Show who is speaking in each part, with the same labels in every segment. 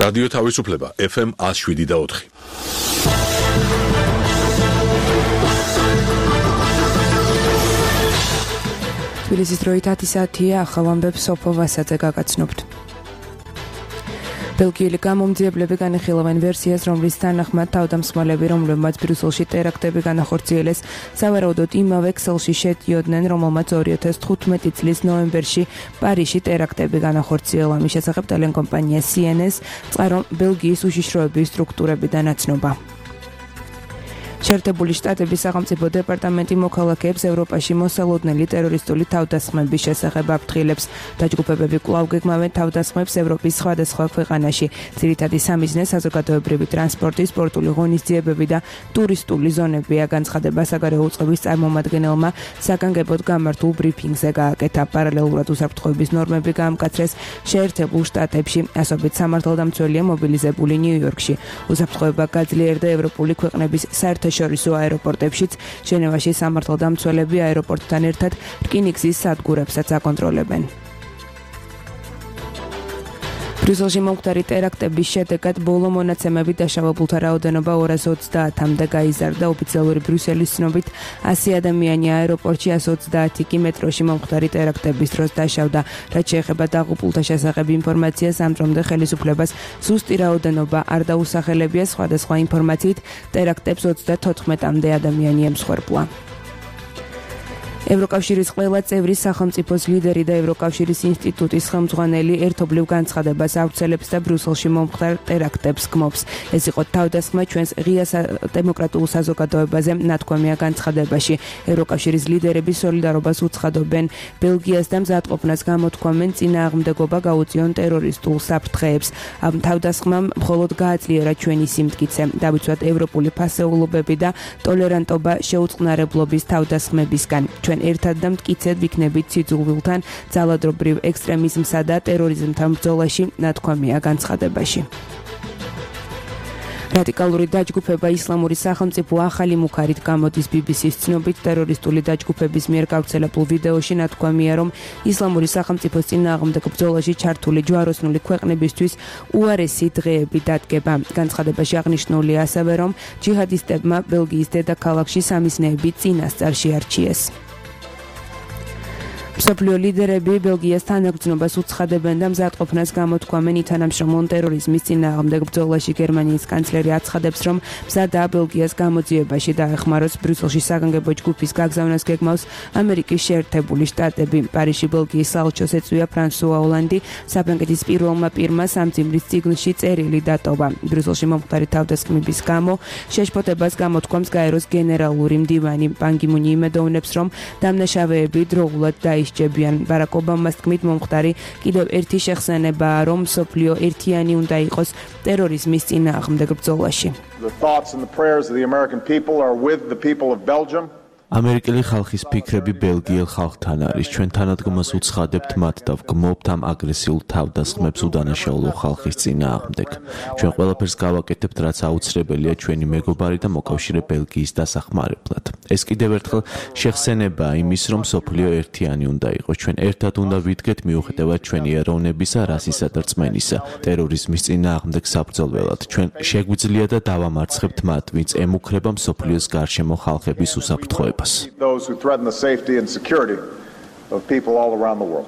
Speaker 1: რადიო თავისუფლება FM 107.4.
Speaker 2: თბილისის დროით 10 საათია, ახალ ამბებს სოფო ვასაძე გაგაცნობთ. ბელგიელი გამომძიებლები განიხილავენ ვერსიას, რომლის თანახმად თავდამსხმელები, რომლებმაც ბრიუსელში ტერაქტები განახორციელეს, სავარაუდოდ იმავე ქსელში შედიოდნენ, რომელმაც 2015 წლის ნოემბერში პარიზში ტერაქტები განახორციელა. მის შესახებ ტელეკომპანია CNN-ს წყარო ბელგიის უშიშროების სტრუქტურებიდან აცნობა. შეერთებული შტატების სახელმწიფო დეპარტამენტი მოქალაქეებს ევროპაში მოსალოდნელი ტერორისტული თავდასხმების შესახებ აფრთხილებს. დაჯგუფებები კვლავ გეგმავენ თავდასხმებს ევროპის სხვადასხვა ქვეყანაში. ძირითადი სამიზნე საზოგადოებრივი ტრანსპორტი, სპორტული ღონისძიებები და ტურისტული ზონებია. განცხადება საგარეო უწყების წარმომადგენელმა საგანგებოდ გამართულ ბრიფინგზე გააკეთა. პარალელურად უსაფრთხოების ნორმები გაამკაცრეს შეერთებულ შტატებში. ასობით სამართალდამცველია მობილიზებული ნიუ-იორკში. უსაფრთხოება გაძლიერდა ევროპული ქვეყნების საერთაშორისო აეროპორტებშიც. ჟენევაში სამართალდამცველები აეროპორტთან ერთად რკინიგზის სადგურებსაც აკონტროლებენ. ბრიუსელში მომხდარი ტერაქტების შედეგად ბოლო მონაცემებით დაშავებულთა რაოდენობა 230-მდე გაიზარდა. ოფიციალური ბრიუსელის ცნობით 100 ადამიანი აეროპორტში, 130 კი მეტროში მომხდარი ტერაქტების დროს დაშავდა. რაც შეეხება დაღუპულთა შესახებ ინფორმაციას, ამ დრომდე ხელისუფლებას ზუსტი რაოდენობა არ დაუსახელებია. სხვადასხვა ინფორმაციით ტერაქტებს 34-მდე ადამიანი ემსხვერპლა. ევროკავშირის ყველა წევრი სახელმწიფოს ლიდერი და ევროკავშირის ინსტიტუტის ხელმძღვანელი ერთობლივ განცხადებას ავრცელებს და ბრიუსელში მომხდარ ტერაქტებს გმობს. ეს იყო თავდასხმა ჩვენს ღია დემოკრატიულ საზოგადოებაზე ნათქვამია განცხადებაში. ევროკავშირის ლიდერები სოლიდარობას უცხადობენ ბელგიას და მზადყოფნას გამოთქვამენ წინააღმდეგობა გაუწიონ ტერორისტულ საფრთხეებს. ამ თავდასხმამ მხოლოდ გააძლიერა ჩვენი სიმტკიცე, დავიცვათ ევროპული ფასეულობები და ტოლერანტობა შეუწყნარებლობის თავდასხმებისგან. ჩვენ ერთად და მტკიცედ ვიქნებით სიძულვილთან, ძალადობრივ ექსტრემიზმსა და ტერორიზმთან ბრძოლაში, ნათქვამია განცხადებაში. რადიკალური დაჯგუფება ისლამური სახელმწიფო ახალი მუქარით გამოდის BBC-ს ცნობით. ტერორისტული დაჯგუფების მიერ გავრცელებულ ვიდეოში ნათქვამია, რომ ისლამური სახელმწიფოს წინააღმდეგ ბრძოლაში ჩართული ჯვაროსნული ქვეყნებისთვის უარესი დღეები დადგება. განცხადებაში აღნიშნულია ასევე, რომ ჯიჰადისტებმა ბელგიის დედაქალაქში სამიზნეები წინასწარ შეარჩიეს. მსოფლიო ლიდერები ბელგიას თანაგრძნობას უცხადებენ და მზადყოფნას გამოთქვამენ ითანამშრომლონ ტერორიზმის წინააღმდეგ ბრძოლაში. გერმანიის კანცლერი აცხადებს, რომ მზადაა ბელგიას გამოძიებაში დაეხმაროს. ბრიუსელში საგანგებო ჯგუფის გაგზავნას გეგმავს ამერიკის შეერთებული შტატები. პარიზში ბელგიის საელჩოს ეწვია ფრანსუა ოლანდი. საფრანგეთის პირველმა პირმა სამძიმრის წიგნში წერილი დატოვა. ბრიუსელში მომხდარი თავდასხმების გამო შეშფოთებას გამოთქვამს გაეროს გენერალური მდივანი. პან კი მუნი იმედოვნებს, რომ დამნაშავეები დროულად დაისჯებიან. ბარაკ ობამას თქმით, მომხდარი კიდევ ერთი შეხსენებაა, რომ მსოფლიო ერთიანი უნდა იყოს ტერორიზმის წინააღმდეგ ბრძოლაში.
Speaker 3: The thoughts and the prayers of the American people are with the people of Belgium.
Speaker 4: ამერიკელი ხალხის ფიქრები ბელგიელ ხალხთან არის. ჩვენ თანადგომას უცხადებთ მათ და ვგმობთ ამ აგრესიულ თავდასხმებს უდანაშაულო ხალხის წინააღმდეგ. ჩვენ ყველაფერს გავაკეთებთ, რაც აუცილებელია ჩვენი მეგობარი და მოკავშირე ბელგიის დასახმარებლად. ეს კიდევ ერთხელ შეხსენებაა იმის, რომ სოფლიო ერთიანი უნდა იყოს. ჩვენ ერთად უნდა ვიდგეთ მიუხედავად ჩვენი ეროვნებისა, რასისა და რწმენისა, ტერორიზმის წინააღმდეგ საბრძოლველად. ჩვენ შეგვიძლია და დავამარცხებთ მათ, ვინც ემუქრება მსოფლიოს გარშემო ხალხების უსაფრთხოებას.
Speaker 3: Those who threaten the safety and security of people all around the world.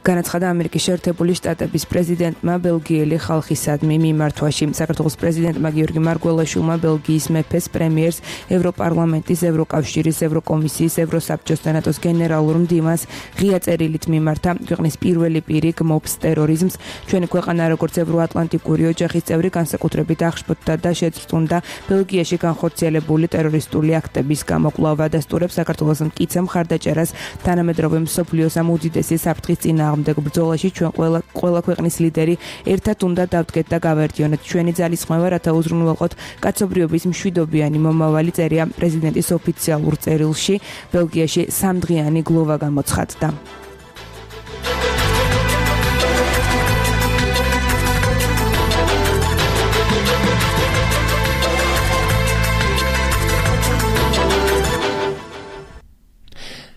Speaker 2: განაცხადა ამერიკის შეერთებული შტატების პრეზიდენტმა ბელგიელი ხალხისადმი მიმართვაში. საქართველოს პრეზიდენტმა გიორგი მარგველაშვილმა ბელგიის მეფეს, პრემიერს, ევროპარლამენტის, ევროკავშირის, ევროკომისიის, ევროსაბჭოს და ნატოს გენერალურ მდივანს ღია წერილით მიმართა. ქვეყნის პირველი პირი გმობს ტერორიზმს. ჩვენი ქვეყანა როგორც ევროატლანტიკური ოჯახის წევრი განსაკუთრებით აღშფოთდა და შეწრწუნდა ბელგიაში განხორციელებული ტერორისტული აქტების გამო. კვლავ ადასტურებს საქართველოს მტკიცე მხარდაჭერას თანამედროვე მსოფლიოს ამ უდიდესი საფრთხის წინააღმდეგ ბრძოლაში. ჩვენ ყველა ქვეყნის ლიდერი ერთად უნდა დავდგეთ და გავაერთიანოთ ჩვენი ძალისხმევა, რათა უზრუნველყოთ კაცობრიობის მშვიდობიანი მომავალი, წერია პრეზიდენტის ოფიციალურ წერილში. ბელგიაში 3დღიანი გლოვა გამოცხადდა.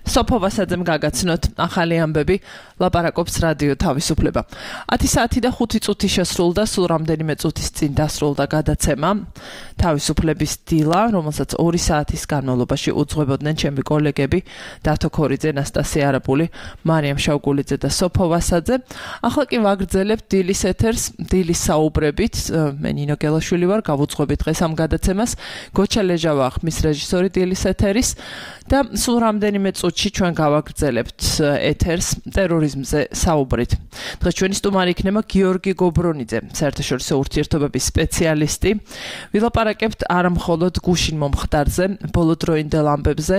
Speaker 5: სოფო ვასაძემ გაგაცნოთ ახალი ამბები, ლაპარაკობს რადიო თავისუფლება. 10 საათი და 5 წუთი შესრულდა, სულ რამდენიმე წუთის წინ დასრულდა გადაცემა თავისუფლების დილა, რომელსაც 2 საათის განმავლობაში უძღვებოდნენ ჩემი კოლეგები დათო ქორიძე, ნასტასია არაბული, მარიამ შავგულიძე და სოფო ვასაძე. ახლა კი ვაგრძელებთ დილის ეთერს, დილის საუბრებით. მე ნინო გელაშვილი ვარ, გავუძღვებით დღეს ამ გადაცემას. გოჩა ლეჟავა ხმის რეჟისორი დილის ეთერის და სულ რამდენიმე წუთში ჩვენ გავაგრძელებთ ეთერს ტერორიზმზე საუბრით. დღეს ჩვენი სტუმარი იქნება გიორგი გობრონიძე, საერთაშორისო ურთიერთობების სპეციალისტი. ვილაპარაკებთ არა მხოლოდ გუშინ მომხდარზე, ბოლოდროინდელ ამბებზე,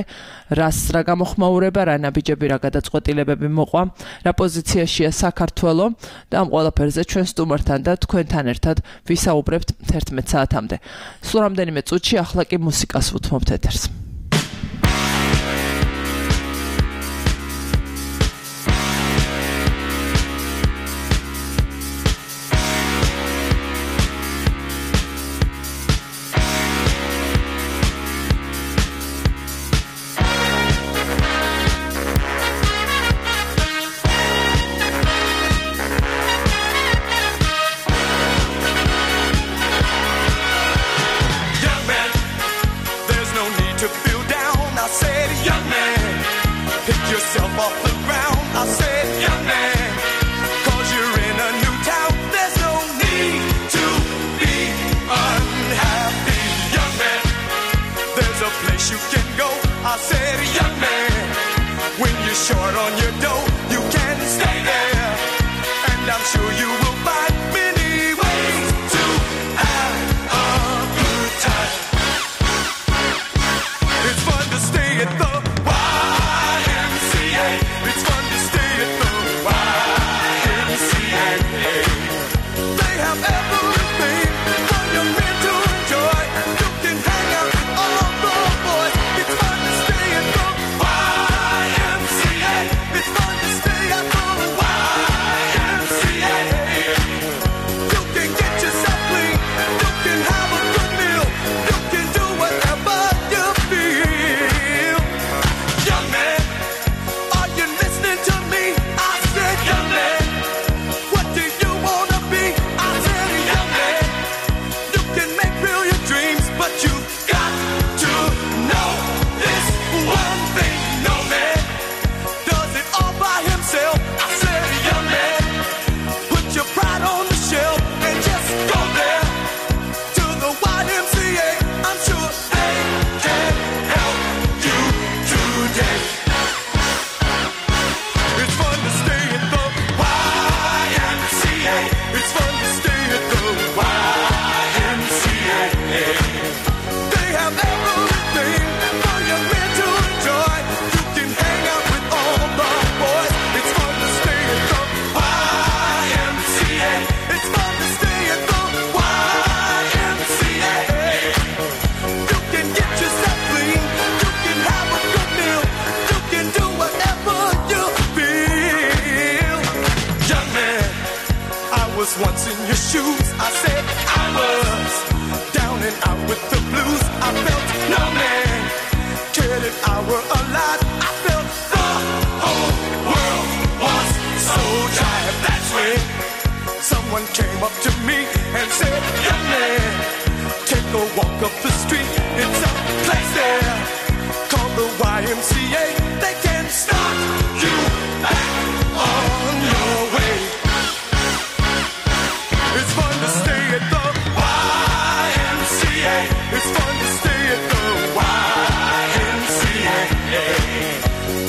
Speaker 5: რა გამოხმაურება, რა ნაბიჯები, რა გადაწყვეტილებები მოყვა, რა პოზიციაშია საქართველო და ამ ყველაფერზე ჩვენ სტუმართან და თქვენთან ერთად ვისაუბრებთ 11 საათამდე. სულ რამდენიმე წუთში ახლა კი მუსიკას ვუთმობთ ეთერს.
Speaker 6: Once in your shoes, I said I was down and out with the blues. I felt no man cared if I were alive. I felt the whole world was so tired. That's when someone came up to me and said, young man, take a walk up the street. It's a place there called the YMCA. They can start you back on your way. It's fun to stay at the YMCA. It's fun to stay at the YMCA.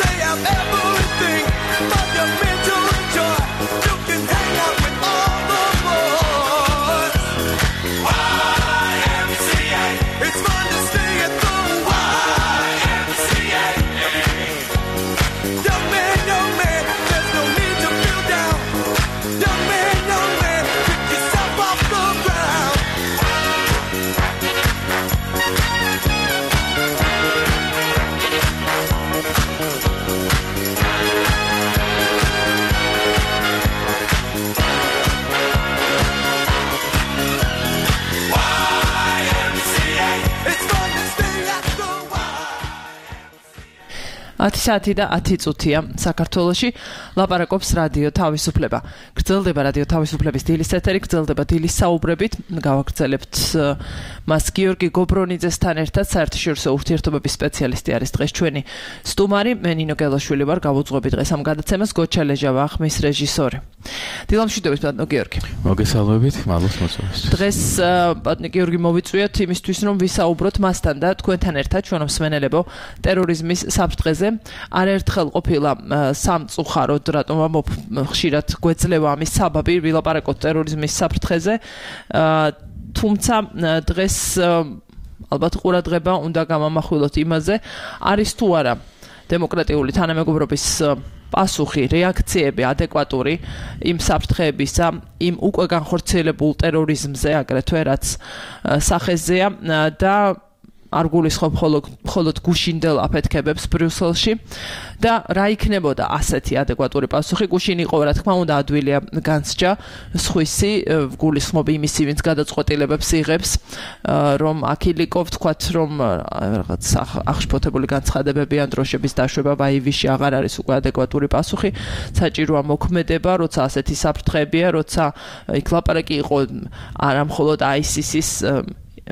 Speaker 6: They have everything but your mental joy. You can hang out with all the boys. YMCA. It's fun to stay at the YMCA.
Speaker 5: 10 საათი და 10 წუთია საქართველოში ლაპარაკობს რადიო თავისუფლება. გრძელდება რადიო თავისუფლების დილის ეთერი, გრძელდება დილის საუბრებით. გავაგრძელებთ მას გიორგი გობრონიძესთან ერთად საერთაშორისო ურთიერთობების სპეციალისტი არის დღეს ჩვენი სტუმარი. მე ნინო გელაშვილი ვარ, გავუძღვები დღეს ამ გადაცემას. გოჩა ლეჟავა ხმის რეჟისორი. დილამშვიდობის ბატონო გიორგი.
Speaker 4: მოგესალმებით, მადლობთ მოწვევისთვის.
Speaker 5: დღეს ბატონო გიორგი მოვიწვიოთ იმისთვის, რომ ვისაუბროთ მასთან და თქვენთან ერთად ჩვენო მსმენელებო ტერორიზმის საფრთხეზე. არაერთხელ ყოფილა სამწუხაროდ, რატომ ხშირად გვეძლევა ამის საბაბი, ვილაპარაკოთ ტერორიზმის საფრთხეზე. თუმცა დღეს ალბათ ყურადღება უნდა გამამახვილოთ იმაზე, არის თუ არა დემოკრატიული თანამეგობრობის პასუხი, რეაქციები ადეკვატური იმ საფრთხეებისა, იმ უკვე განხორციელებულ ტერორიზმზე, აგრეთვე რაც სახეზეა და არ გულისხმობ მხოლოდ გუშინდელ აფეთქებებს ბრიუსელში და რა იქნებოდა ასეთი ადეკვატური პასუხი. გუშინ იყო, რა თქმა უნდა, ადვილია განსჯა სხვისი, გულისხმობ იმისი, ვინც გადაწყვეტილებებს იღებს, რომ აქილიკო ვთქვათ, რომ რაღაც აღშფოთებული განცხადებები ან დროშების დაშვება ვაივიში აღარ არის უკვე ადეკვატური პასუხი. საჭიროა მოქმედება, როცა ასეთი საფრთხეებია, როცა იქ ლაპარაკი იყო არა მხოლოდ ISIS-ის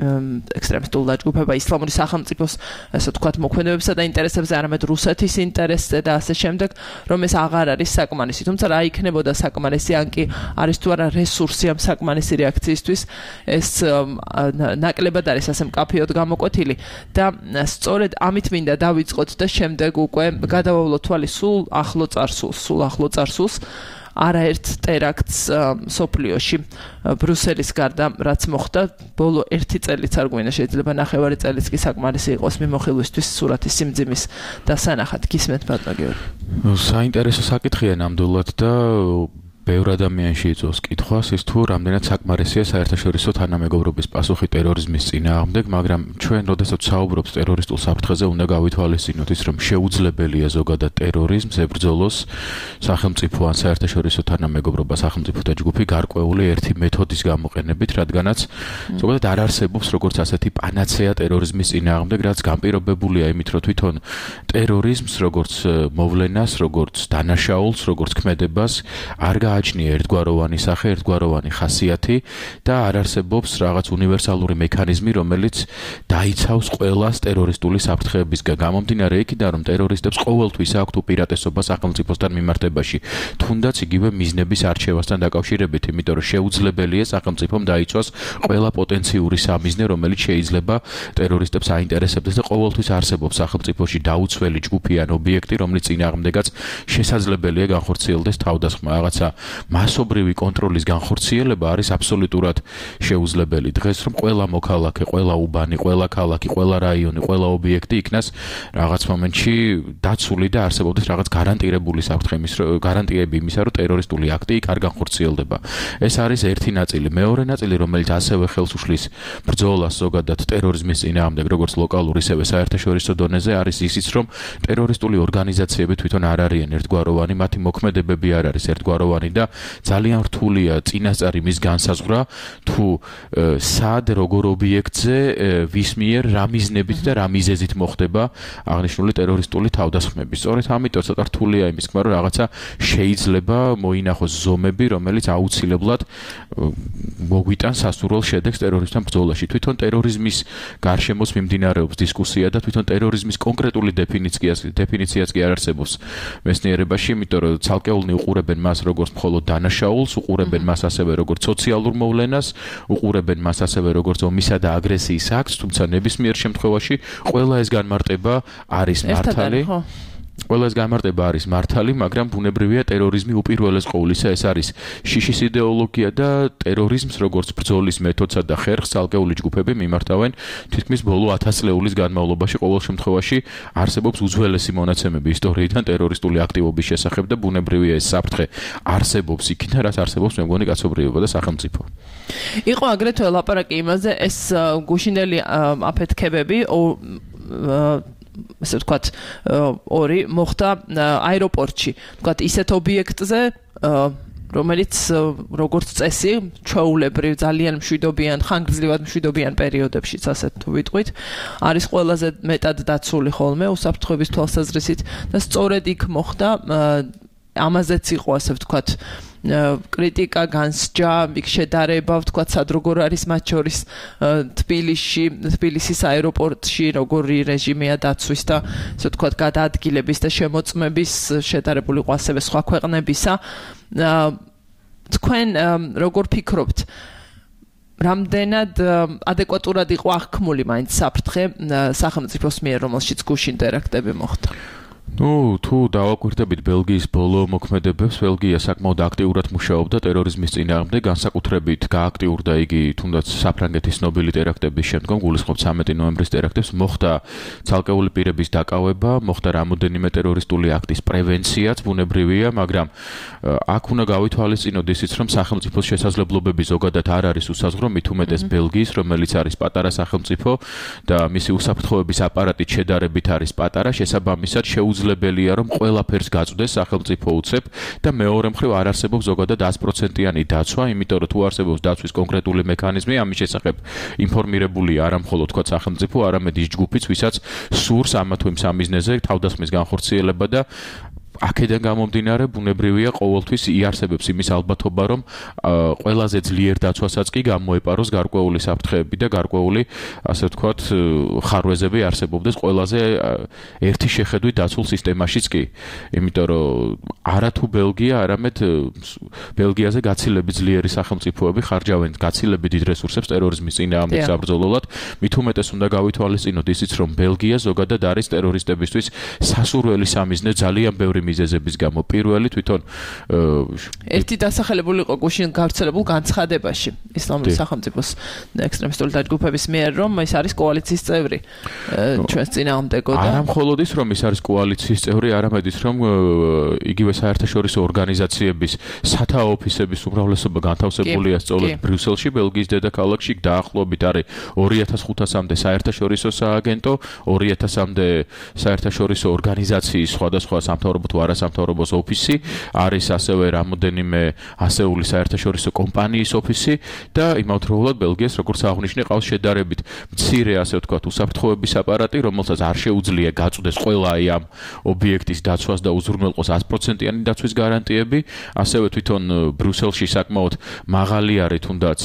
Speaker 5: ექსტრემისტულ დაჯგუფება ისლამური სახელმწიფოს, ასე ვთქვათ, მოქმედებებსა და ინტერესებზე, არამედ რუსეთის ინტერესზე და ასე შემდეგ, რომ ეს აღარ არის საკმარისი. თუმცა რა იქნებოდა საკმარისი, ან კი არის თუ არა რესურსი ამ საკმარისი რეაქციისთვის, ეს ნაკლებად არის ასე მკაფიოდ გამოკვეთილი და სწორედ ამით მინდა დავიწყოთ და შემდეგ უკვე გადავავლოთ თვალი სულ ახლო წარსულს. არაერთ ტერაქტს სოფლიოში ბრუსელის გარდა რაც მოხდა ბოლო 1 წელიც არ გვინდა, შეიძლება ნახევარი წელიც კი საკმარისი იყოს მიმოხილვისთვის სურათის სიმძიმის დასანახად. გისმენთ ბატონო გიორგი.
Speaker 7: საინტერესო საკითხია ნამდვილად და ბევრ ადამიანში იწვევს კითხვას ის თუ რამდენად საკმარისია საერთაშორისო თანამეგობრობის პასუხი ტერორიზმის წინააღმდეგ, მაგრამ ჩვენ როდესაც საუბრობთ ტერორისტულ საფრთხეზე, უნდა გავითვალისწინოთ ის, რომ შეუძლებელია ზოგადად ტერორიზმს ებრძოლოს სახელმწიფო ან საერთაშორისო თანამეგობრობა სახელმწიფოთა ჯგუფი გარკვეული ერთი მეთოდის გამოყენებით, რადგანაც ზოგადად არ არსებობს როგორც ასეთი პანაცეა ტერორიზმის წინააღმდეგ, რაც განპირობებულია იმით, რომ თვითონ ტერორიზმს როგორც მოვლენას, როგორც დანაშაულს, როგორც ქმედებას არ გააჩნია ერთგვაროვანი სახე, ერთგვაროვანი ხასიათი და არ არსებობს რაღაც უნივერსალური მექანიზმი, რომელიც დაიცავს ყველას ტერორისტული საფრთხეებისგან. გამომდინარე იქიდან, რომ ტერორისტებს ყოველთვის აქვთ უპირატესობა სახელმწიფოსთან მიმართებაში, თუნდაც იგივე მიზნების არჩევასთან დაკავშირებით, იმიტომ რომ შეუძლებელია სახელმწიფომ დაიცვას ყველა პოტენციური სამიზნე, რომელიც შეიძლება ტერორისტებს აინტერესებდეს და ყოველთვის არსებობს სახელმწიფოში დაუცველი ჯგუფი ან ობიექტი, რომლის წინააღმდეგაც შესაძლებელია განხორციელდეს თავდასხმა. რაღაცა მასობრივი კონტროლის განხორციელება არის აბსოლუტურად შეუძლებელი. დღეს რომ ყველა მოქალაქე, ყველა უბანი, ყველა ქალაქი, ყველა რაიონი, ყველა ობიექტი იქნას რაღაც მომენტში დაცული და არსებობდეს რაღაც გარანტირებული საფრთხე, გარანტიები იმისა, რომ ტერორისტული აქტი იქ არ განხორციელდება. ეს არის ერთი ნაწილი. მეორე ნაწილი, რომელიც ასევე ხელს უშლის ბრძოლას ზოგადად ტერორიზმის წინააღმდეგ, როგორც ლოკალურ, ისევე საერთაშორისო დონეზე, არის ისიც, რომ ტერორისტული ორგანიზაციები თვითონ არ არიან ერთგვაროვანი, მათი მოქმედებები არ არის ერთგვაროვანი და ძალიან რთულია წინასწარი მის განსაზღვრა თუ სად როგორ ობიექტზე ვის მიერ რა მიზნებით და რა მიზეზით მოხდება აღნიშნული ტერორისტული თავდასხმები. სწორედ ამიტომ ცოტა რთულია იმის თქმა, რომ რაღაცა შეიძლება მოინახოს ზომები, რომელიც აუცილებლად მოგვიტანს სასურველ შედეგს ტერორიზმთან ბრძოლაში. თვითონ ტერორიზმის გარშემოც მიმდინარეობს დისკუსია და თვითონ ტერორიზმის კონკრეტული დეფინიციაც კი არ არსებობს მეცნიერებაში, იმიტომ რომ ცალკეულნი უყურებენ მას როგორც მხოლოდ დანაშაულს, უყურებენ მას ასევე როგორც სოციალურ მოვლენას, უყურებენ მას ასევე როგორც ომისა და აგრესიის აქტს, თუმცა ნებისმიერ შემთხვევაში ყველა ეს განმარტება არის მართალი. ყველა ეს განმარტება არის მართალი, მაგრამ ბუნებრივია ტერორიზმი უპირველეს ყოვლისა ეს არის შიშის იდეოლოგია და ტერორიზმს როგორც ბრძოლის მეთოდსა და ხერხს ცალკეული ჯგუფები მიმართავენ თითქმის ბოლო 1000 წლეულის განმავლობაში. ყოველ შემთხვევაში არსებობს უძველესი მონაცემები ისტორიიდან ტერორისტული აქტივობის შესახებ და ბუნებრივია ეს საფრთხე არსებობს იქიდან, რაც არსებობს მე მგონი კაცობრიობა და სახელმწიფო.
Speaker 5: იყო აგრეთვე ლაპარაკი იმაზე, ეს გუშინდელი აფეთქებები ასე ვთქვათ, ორი მოხდა აეროპორტში. ვთქვათ, ისეთ ობიექტზე, რომელიც როგორც წესი ჩვეულებრივ ძალიან მშვიდობიან, ხანგრძლივად მშვიდობიან პერიოდებშიც ასეთ თუ ვიტყვით, არის ყველაზე მეტად დაცული ხოლმე უსაფრთხოების თვალსაზრისით და სწორედ იქ მოხდა ამაზეც იყო ასე ვთქვათ კრიტიკა, განსჯა, იქ შედარება, ვთქვათ, სად როგორ არის მათ შორის თბილისის აეროპორტში როგორი რეჟიმია დაცვის და ასე ვთქვათ გადაადგილების და შემოწმების შედარებული იყო ასევე სხვა ქვეყნებისა. თქვენ როგორ ფიქრობთ, რამდენად ადეკვატურად იყო აღქმული მაინც საფრთხე სახელმწიფოს მიერ, რომელშიც გუშინ ტერაქტები მოხდა?
Speaker 7: თუ დავაკვირდებით ბელგიის ბოლო მოქმედებებს, ბელგია საკმაოდ აქტიურად მუშაობდა ტერორიზმის წინააღმდეგ, განსაკუთრებით გააქტიურდა იგი თუნდაც საფრანგეთის ცნობილი ტერაქტების შემდგომ, გულისხმობ 13 ნოემბრის ტერაქტებს, მოხდა ცალკეული პირების დაკავება, მოხდა რამოდენიმე ტერორისტული აქტის პრევენციაც, ბუნებრივია, მაგრამ აქ უნდა გავითვალისწინოთ ისიც, რომ სახელმწიფოს შესაძლებლობები ზოგადად არ არის უსაზღვრო, მით უმეტეს ბელგიის, რომელიც არის პატარა სახელმწიფო და მისი უსაფრთხოების აპარატი შედარებით არის პატარა, შესაბამისად შეუძლებელია რომ ყველაფერს გაწვდეს სახელმწიფო უცებ და მეორე მხრივ არ არსებობს ზოგადად 100%-იანი დაცვა, იმიტომ რომ თუ არსებობს დაცვის კონკრეტული მექანიზმი, ამის შესახებ ინფორმირებულია არა მხოლოდ თქვა სახელმწიფო, არამედ ის ჯგუფიც, ვისაც სურს ამა თუ იმ სამიზნეზე თავდასხმის განხორციელება და აქედან გამომდინარე ბუნებრივია ყოველთვის იარსებებს იმის ალბათობა რომ ყველაზე ძლიერ დაცვასაც კი გამოეპაროს გარკვეული საფრთხეები და გარკვეული ასე ვთქვათ ხარვეზები არსებობდეს ყველაზე ერთი შეხედვით დაცულ სისტემაშიც კი იმიტომ რომ არათუ ბელგია არამედ ბელგიაზე გაცილებით ძლიერი სახელმწიფოები ხარჯავენ გაცილებით დიდ რესურსებს ტერორიზმის წინააღმდეგ საბრძოლველად მით უმეტეს უნდა გავითვალისწინოთ ისიც რომ ბელგია ზოგადად არის ტერორისტებისთვის სასურველი სამიზნე ძალიან ბევრი მიზეზების გამო პირველი თვითონ
Speaker 5: ერთი დასახელებული იყო გუშინ გავრცელებულ განცხადებაში ისლამური სახელმწიფოს ექსტრემისტული დაჯგუფების მიერ რომ ის არის კოალიციის წევრი ჩვენს წინააღმდეგო და
Speaker 7: არა მხოლოდ ის რომ ის არის კოალიციის წევრი არამედ ის რომ იგივე საერთაშორისო ორგანიზაციების სათაო ოფისების უმრავლესობა განთავსებულია სწორედ ბრიუსელში ბელგიის დედაქალაქში დაახლოებით არის 2500-მდე საერთაშორისო სააგენტო 2000-მდე საერთაშორისო ორგანიზაციის სხვადასხვა სამთავრობო თუ არასამთავრობოს ოფისი არის ასევე რამოდენიმე ასეული საერთაშორისო კომპანიის ოფისი და იმავდროულად ბელგიას როგორც აღნიშნე ყავს შედარებით მცირე ასე ვთქვათ უსაფრთხოების აპარატი რომელსაც არ შეუძლია გაწვდეს ყველა ამ ობიექტის დაცვას და უზრუნველყოს 100%-იანი დაცვის გარანტიები ასევე თვითონ ბრიუსელში საკმაოდ მაღალი არის თუნდაც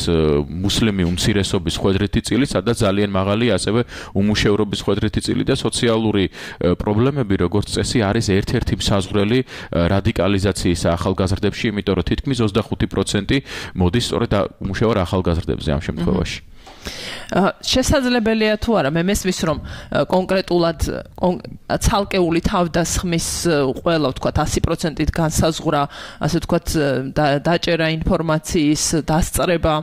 Speaker 7: მუსლიმი უმცირესობის ხვედრითი წილი სადაც ძალიან მაღალი ასევე უმუშევრობის ხვედრითი წილი და სოციალური პრობლემები როგორც წესი არის ერთ-ერთი საზღვრელი რადიკალიზაციის ახალგაზრდებში, იმიტომ რომ თითქმის 25% მოდის სწორედ უმუშევარ ახალგაზრდებზე ამ შემთხვევაში.
Speaker 5: შესაძლებელია თუ არა მე მესმის რომ კონკრეტულად ცალკეული თავდასხმის ყველა ვთქვათ 100%-ით განსაზღვრა ასე ვთქვათ დაჭერა ინფორმაციის დასწრება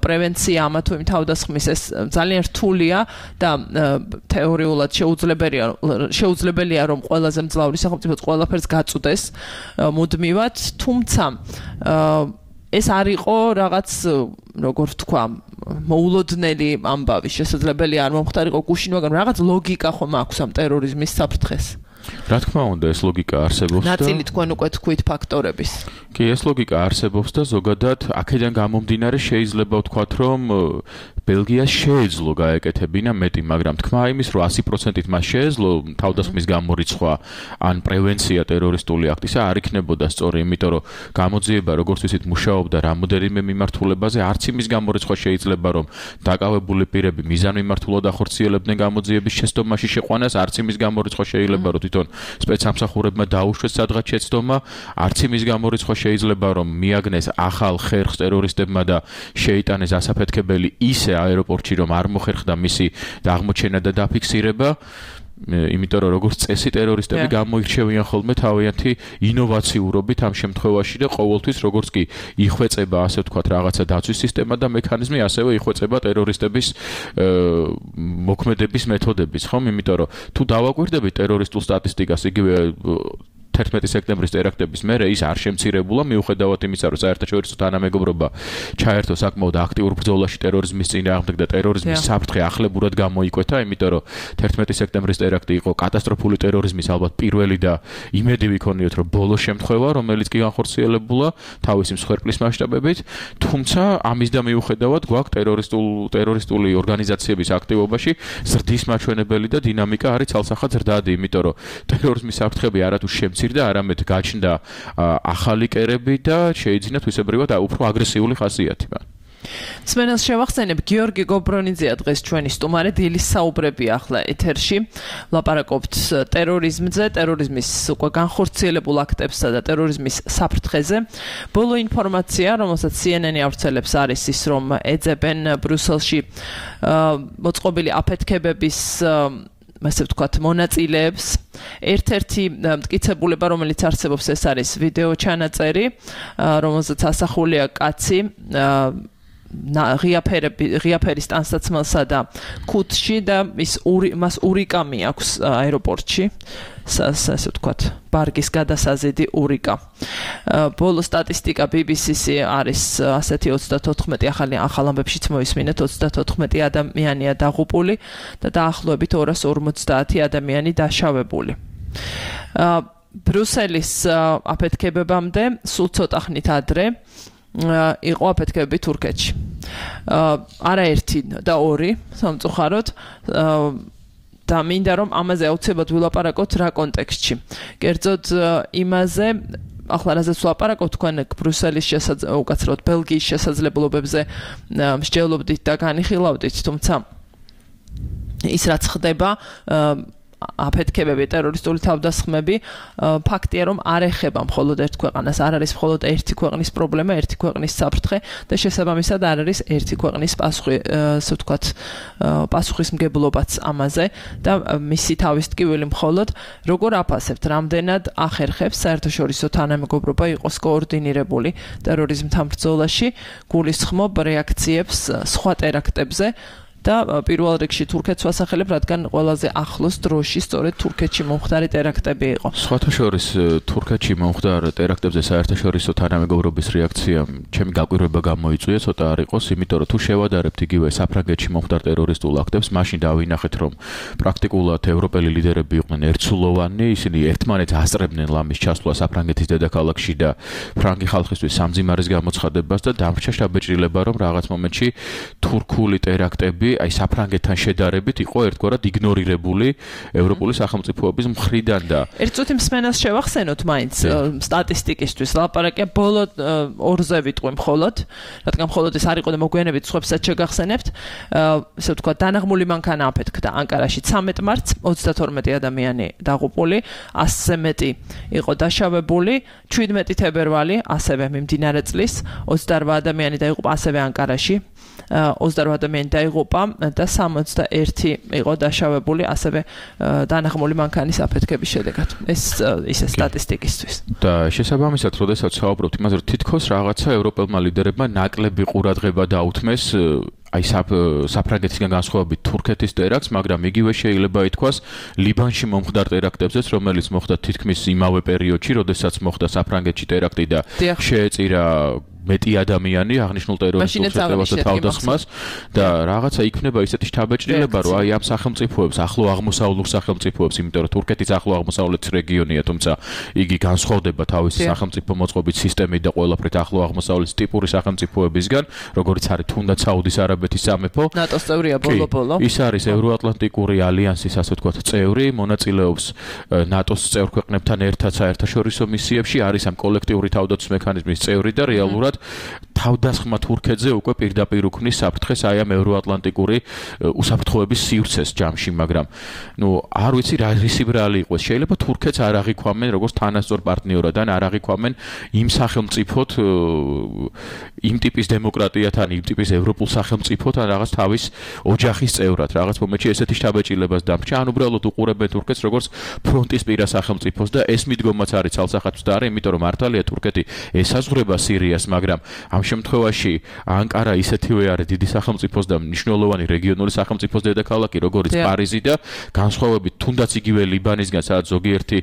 Speaker 5: პრევენცია ამა თუ იმ თავდასხმის ეს ძალიან რთულია და თეორიულად შეუძლებელია რომ ყველაზე მძლავრი სახელმწიფო ყველაფერს გაწვდეს მუდმივად თუმცა ეს არ იყო რაღაც როგორ ვთქვა მოულოდნელი ამბავი შესაძლებელი არ მომხდარიყო გუშინ მაგრამ რაღაც ლოგიკა ხომ აქვს ამ ტერორიზმის საფრთხეს
Speaker 7: რა თქმა უნდა ეს ლოგიკა არსებობს და
Speaker 5: ნაწილი თქვენ უკვე თქვით ფაქტორების
Speaker 7: კი ეს ლოგიკა არსებობს და ზოგადად აქედან გამომდინარე შეიძლება ვთქვათ რომ ბელგიას შეეძლო გაეკეთებინა მეტი, მაგრამ თქმა იმის, რომ 100%-ით მას შეეძლო თავდასხმის გამორიცხვა ან პრევენცია ტერორისტული აქტისა არ იქნებოდა სწორი, იმიტომ რომ გამოძიება როგორც ვისით მუშაობდა რამოდენიმე მიმართულებაზე, არც იმის გამორიცხვა შეიძლება რომ დაკავებული პირები მიზანმიმართულად ახორციელებდნენ გამოძიების შეცდომაში შეყვანას, არც იმის გამორიცხვა შეიძლება რომ თვითონ სპეცსამსახურებმა დაუშვეს სადღაც შეცდომა, არც იმის გამორიცხვა შეიძლება რომ მიაგნეს ახალ ხერხს ტერორისტებმა და შეიტანეს ასაფეთქებელი ისე აეროპორტში რომ არ მოხერხდა მისი აღმოჩენა და დაფიქსირება იმიტომ რომ როგორც წესი ტერორისტები გამოირჩევიან ხოლმე თავიანთი ინოვაციურობით ამ შემთხვევაში და ყოველთვის როგორც კი იხვეწება ასე ვთქვათ რაღაცა დაცვის სისტემა და მექანიზმი ასევე იხვეწება ტერორისტების მოქმედების მეთოდებიც ხომ იმიტომ რომ თუ დავაკვირდებით ტერორისტულ სტატისტიკას იგივე 11 სექტემბრის ტერაქტების მერე ის არ შემცირებულა, მიუხედავად იმისა, რომ საერთაშორისო თანამეგობრობა ჩაერთო საკმაოდ აქტიურ ბრძოლაში ტერორიზმის წინააღმდეგ და ტერორიზმის საფრთხე ახლებურად გამოიკვეთა, იმიტომ რომ 11 სექტემბრის ტერაქტი იყო კატასტროფული ტერორიზმის ალბათ პირველი და იმედი ვიქონიოთ, რომ ბოლო შემთხვევა, რომელიც კი განხორციელებულა თავისი მსხვერპლის მასშტაბებით, თუმცა ამის და მიუხედავად გვაქვს ტერორისტული ორგანიზაციების აქტივობაში ზრდის მაჩვენებელი და დინამიკა არის ცალსახად ზრდადი, იმიტომ რომ ტერორიზმის საფრთხები არათუ შემცირდა, არამედ გაჩნდა ახალი კერები და შეიძინა თვისებრივად უფრო აგრესიული ხასიათი.
Speaker 5: სმენელს შევახსენებ, გიორგი გობრონიძეა დღეს ჩვენი სტუმარი, დილის საუბრები ახლა ეთერში. ვლაპარაკობთ ტერორიზმზე, ტერორიზმის უკვე განხორციელებულ აქტებსა და ტერორიზმის საფრთხეზე. ბოლო ინფორმაცია, რომელსაც CNN-ი ავრცელებს, არის ის, რომ ეძებენ ბრიუსელში მოწყობილი აფეთქებების ასე ვთქვათ, მონაწილეებს. ერთ-ერთი მტკიცებულება, რომელიც არსებობს, ეს არის ვიდეო ჩანაწერი, რომელზეც ასახულია კაცი ღიაფერის ტანსაცმელსა და ქუთში და მას ურიკამი აქვს აეროპორტში. ასე ვთქვათ, ბარგის გადასაზიდი ურიკა. ბოლო სტატისტიკა BBC-ს არის ასეთი 34 ახალ ამბებშიც მოისმინეთ 34 ადამიანია დაღუპული და დაახლოებით 250 ადამიანი დაშავებული. ბრიუსელის აფეთქებებამდე სულ ცოტა ხნით ადრე იყო აფეთქებები თურქეთში. არა ერთი და ორი, სამწუხაროდ და მინდა რომ ამაზე აუცილებლად ვილაპარაკოთ რა კონტექსტში. კერძოდ იმაზე, ახლა რაზეც ვლაპარაკობთ, თქვენ ბრიუსელის უკაცრავად ბელგიის შესაძლებლობებზე მსჯელობდით და განიხილავდით, თუმცა ის რაც ხდება აფეთქებები, ტერორისტული თავდასხმები, ფაქტია, რომ არ ეხება მხოლოდ ერთ ქვეყანას, არ არის მხოლოდ ერთი ქვეყნის პრობლემა, ერთი ქვეყნის საფრთხე და შესაბამისად არ არის ერთი ქვეყნის პასუხისმგებლობაც ამაზე და მისი თავის ტკივილი მხოლოდ როგორ აფასებთ, რამდენად ახერხებს საერთაშორისო თანამეგობრობა იყოს კოორდინირებული ტერორიზმთან ბრძოლაში, გულისხმობ რეაქციებს სხვა ტერაქტებზე და პირველ რიგში თურქეთს ვასახელებ, რადგან ყველაზე ახლოს დროში სწორედ თურქეთში მომხდარი ტერაქტები იყო.
Speaker 7: სხვათა შორის თურქეთში მომხდარ ტერაქტებზე საერთაშორისო თანამეგობრობის რეაქცია ჩემი გაკვირვება გამოიწვია, ცოტა არ იყოს, იმიტომ რომ თუ შევადარებთ იგივე საფრანგეთში მომხდარ ტერორისტულ აქტებს, მაშინ დავინახეთ, რომ პრაქტიკულად ევროპელი ლიდერები იყვნენ ერთსულოვანი, ისინი ერთმანეთს ასწრებდნენ ლამის ჩასვლა საფრანგეთის დედაქალაქში და ფრანგი ხალხისთვის სამძიმარის გამოცხადებას და დამრჩა შთაბეჭდილება, რომ რაღაც მომენტში თურქული ტერაქტები აი საფრანგეთთან შედარებით იყო ერთგვარად იგნორირებული ევროპული სახელმწიფოების მხრიდან და
Speaker 5: ერთ წუთი მსმენელს შევახსენოთ მაინც სტატისტიკისთვის ლაპარაკია ბოლო ორზე ვიტყვი მხოლოდ, რადგან მხოლოდ ეს არ იყო და მოგვიანებით სხვებსაც შეგახსენებთ, ესე ვთქვათ, დანაღმული მანქანა აფეთქდა ანკარაში 13 მარტს, 32 ადამიანი დაღუპული, 100-ზე მეტი იყო დაშავებული, 17 თებერვალი, ასევე მიმდინარე წლის, 28 ადამიანი დაიღუპა ასევე ანკარაში. 28 ადამიანი დაიღუპა და 61 იყო დაშავებული ასევე დანაღმული მანქანის აფეთქების შედეგად. ეს ისე სტატისტიკისთვის.
Speaker 7: და შესაბამისად, როდესაც საუბრობთ იმაზე, რომ თითქოს რაღაცა ევროპელმა ლიდერებმა ნაკლები ყურადღება დაუთმეს აი საფრანგეთისგან განსხვავებით თურქეთის ტერაქტს, მაგრამ იგივე შეიძლება ითქვას ლიბანში მომხდარ ტერაქტებზეც, რომელიც მოხდა თითქმის იმავე პერიოდში, როდესაც მოხდა საფრანგეთში ტერაქტი და შეეწირა მეტი ადამიანი აღნიშნულ ტერორისტულ შეტევას და თავდასხმას და რაღაცა იქნება ისეთი შთაბეჭდილება, რომ აი ამ სახელმწიფოებს, ახლო აღმოსავლურ სახელმწიფოებს, იმიტომ რომ თურქეთის ახლო აღმოსავლეთის რეგიონია, თუმცა იგი განსხვავდება თავისი სახელმწიფო მოწყობის სისტემით და ყველაფრით ახლო აღმოსავლეთის ტიპური სახელმწიფოებისგან, როგორც არის თუნდაც საუდის არაბეთის სამეფო.
Speaker 5: ნატოს წევრია ბოლო-ბოლო.
Speaker 7: ის არის ევროატლანტიკური ალიანსის, ასე ვთქვათ, წევრი, მონაწილეობს ნატოს წევრ ქვეყნებთან ერთად საერთაშორისო მისიებში, არის ამ კოლექტიური თავდაცვის მექანიზმის წევრი და რეალურად თავდასხმა თურქეთზე უკვე პირდაპირ უქმნის საფრთხეს აი ამ ევროატლანტიკური უსაფრთხოების სივრცეს ჯამში, მაგრამ არ ვიცი რა რისი ბრალი იყოს. შეიძლება თურქეთს არ აღიქვამენ როგორც თანასწორ პარტნიორად ან არ აღიქვამენ იმ სახელმწიფოთ, იმ ტიპის დემოკრატიათან, იმ ტიპის ევროპულ სახელმწიფოთან რაღაც თავის ოჯახის წევრად, რაღაც მომენტში ესეთი შთაბეჭდილებას დამრჩა, ან უბრალოდ უყურებენ თურქეთს როგორც ფრონტის პირა სახელმწიფოს და ეს მიდგომაც არის ცალსახად მცდარი, იმიტომ რომ მართალია თურქეთი ესაზღვრება სირიას, მაგრამ ამ შემთხვევაში ანკარა ისეთივე არის დიდი სახელმწიფოს და მნიშვნელოვანი რეგიონული სახელმწიფოს დედაქალაქი, როგორც პარიზი და განსხვავებით თუნდაც იგივე ლიბანისგან, სადაც ზოგიერთი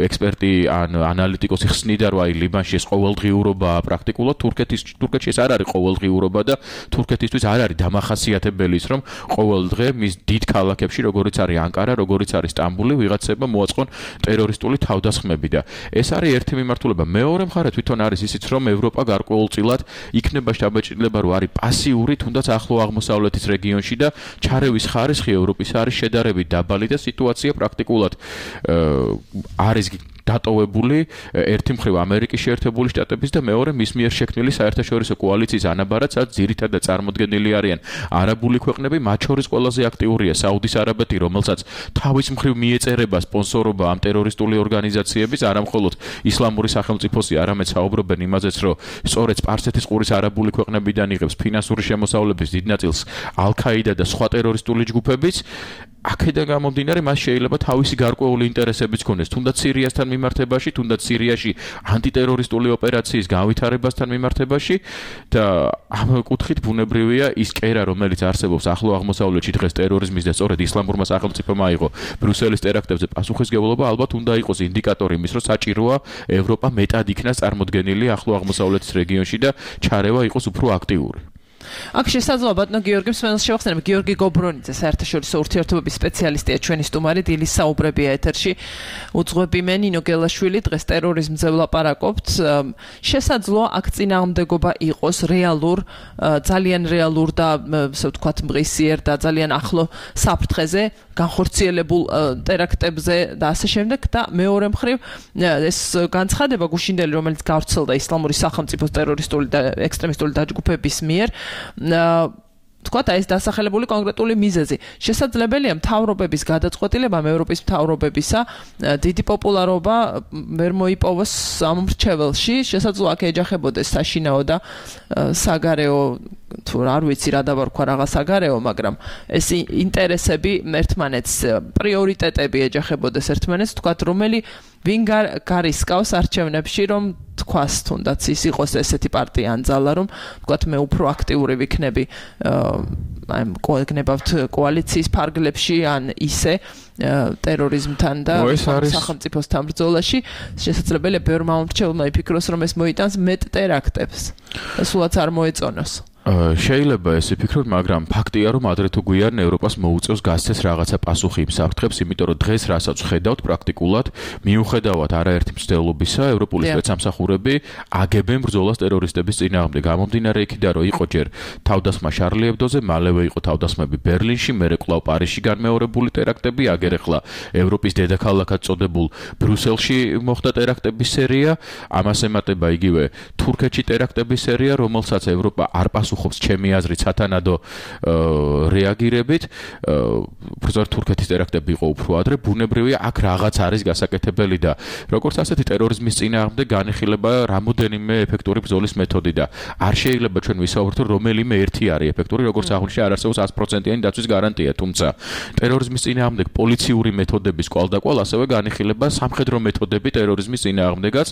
Speaker 7: ექსპერტი ან ანალიტიკოსი ხსნიდა, რომ აი ლიბანში ეს ყოველდღიურობაა პრაქტიკულად, თურქეთში ეს არ არის ყოველდღიურობა და თურქეთისთვის არ არის დამახასიათებელი ის, რომ ყოველდღე მის დიდ ქალაქებში, როგორც არის ანკარა, როგორც არის სტამბული, ვიღაცებმა მოაწყონ ტერორისტული თავდასხმები და ეს არის ერთი მიმართულება. მეორე მხარე თვითონ არის ისიც, რომ ევროპა გარკვეულწილად იქნება შთაბეჭდილება, რომ არის პასიური, თუნდაც ახლო აღმოსავლეთის რეგიონში და ჩარევის ხარისხი ევროპის არის შედარებით დაბალი და სიტუაცია პრაქტიკულად არის დატოვებული ერთი მხრივ ამერიკის შეერთებული შტატების და მეორე მის მიერ შექმნილი საერთაშორისო კოალიციის ანაბარად, სადაც ძირითადად წარმოდგენილი არიან არაბული ქვეყნები, მათ შორის ყველაზე აქტიურია საუდის არაბეთი, რომელსაც თავის მხრივ მიეწერება სპონსორობა ამ ტერორისტული ორგანიზაციების, არამხოლოდ ისლამური სახელმწიფოსი, არამედ საუბრობენ იმაზეც, რომ სწორედ სპარსეთის ყურის არაბული ქვეყნებიდან იღებს ფინანსური შემოსავლების დიდ ნაწილს ალ-ქაიდა და სხვა ტერორისტული ჯგუფებიც. აქედან გამომდინარე, მას შეიძლება თავისი გარკვეული ინტერესებიც ქონდეს, თუნდაც სირიასთან მიმართებაში, თუნდაც სირიაში ანტიტერორისტული ოპერაციის განვითარებასთან მიმართებაში და ამ კუთხით ბუნებრივია ის კერა, რომელიც არსებობს ახლო აღმოსავლეთში დღეს ტერორიზმის და სწორედ ისლამურმა სახელმწიფომ აიღო ბრიუსელის ტერაქტებზე პასუხისმგებლობა, ალბათ უნდა იყოს ინდიკატორი იმის, რომ საჭიროა ევროპა მეტად იქნას წარმოდგენილი ახლო აღმოსავლეთის რეგიონში და ჩარევა იყოს უფრო აქტიური.
Speaker 5: აქ შესაძლოა ბატონო გიორგი მსმენელს შევახსენებ, გიორგი გობრონიძე საერთაშორისო ურთიერთობების სპეციალისტია, ჩვენი სტუმარი დილის საუბრებია ეთერში. უძღვები მე ნინო გელაშვილი, დღეს ტერორიზმზე ვლაპარაკობთ. შესაძლოა აქ წინააღმდეგობა იყოს რეალურ, ძალიან რეალურ და ასე ვთქვათ მღისიერ და ძალიან ახლო საფრთხეზე, განხორციელებულ ტერაქტებზე და ასე შემდეგ და მეორე მხრივ ეს განცხადება გუშინდელი, რომელიც გავრცელდა ისლამური სახელმწიფოს ტერორისტული და ექსტრემისტული დაჯგუფების მიერ თქვათ ეს დასახელებული კონკრეტული მიზეზი. შესაძლებელია მთავრობების გადაწყვეტილებამ ევროპის მთავრობებისა დიდი პოპულარობა ვერ მოიპოვოს ამ მრჩეველში, შესაძლოა აქ ეჯახებოდეს საშინაო და საგარეო თუ არ ვიცი რა დავარქვა რაღაც საგარეო, მაგრამ ეს ინტერესები ერთმანეთს, პრიორიტეტები ეჯახებოდეს ერთმანეთს, თქვათ რომელი ვინ გარისკავს არჩევნებში, რომ თქვას თუნდაც ის იყოს ესეთი პარტია ან ძალა, რომ თქვათ მე უფრო აქტიური ვიქნები აი გონებავთ კოალიციის ფარგლებში ან ისე ტერორიზმთან და სახელმწიფოსთან ბრძოლაში, შესაძლებელია ბევრმა მომრჩეველმა იფიქროს, რომ ეს მოიტანს მეტ ტერაქტებს და სულაც არ მოეწონოს.
Speaker 7: შეიძლება ეს იფიქროთ, მაგრამ ფაქტია, რომ ადრე თუ გვიან ევროპას მოუწევს გასცეს რაღაცა პასუხი იმ საფრთხებს, იმიტომ რომ დღეს რასაც ხედავთ პრაქტიკულად, მიუხედავად არაერთი მცდელობისა, ევროპული სპეცსამსახურები აგებენ ბრძოლას ტერორისტების წინააღმდეგ. გამომდინარე იქიდან, რომ იყო ჯერ თავდასხმა შარლი ებდოზე, მალევე იყო თავდასხმები ბერლინში, მერე კვლავ პარიზში განმეორებული ტერაქტები, აგერ ახლა ევროპის დედაქალაქად წოდებულ ბრიუსელში მოხდა ტერაქტების სერია, ამას ემატება იგივე თურქეთში ტერაქტების სერია, რომელსაც ევროპა არ პასუხობს ჩემი აზრით სათანადო რეაგირებით. უბრალოდ თურქეთის ტერაქტები იყო უფრო ადრე, ბუნებრივია აქ რაღაც არის გასაკეთებელი და როგორც ასეთი ტერორიზმის წინააღმდეგ განიხილება რამოდენიმე ეფექტური ბრძოლის მეთოდი და არ შეიძლება ჩვენ ვისაუბროთ, რომ რომელიმე ერთი არის ეფექტური, როგორც აღნიშნე არ არსებობს 100%-იანი დაცვის გარანტია, თუმცა ტერორიზმის წინააღმდეგ პოლიციური მეთოდების კვალდაკვალ ასევე განიხილება სამხედრო მეთოდები ტერორიზმის წინააღმდეგაც,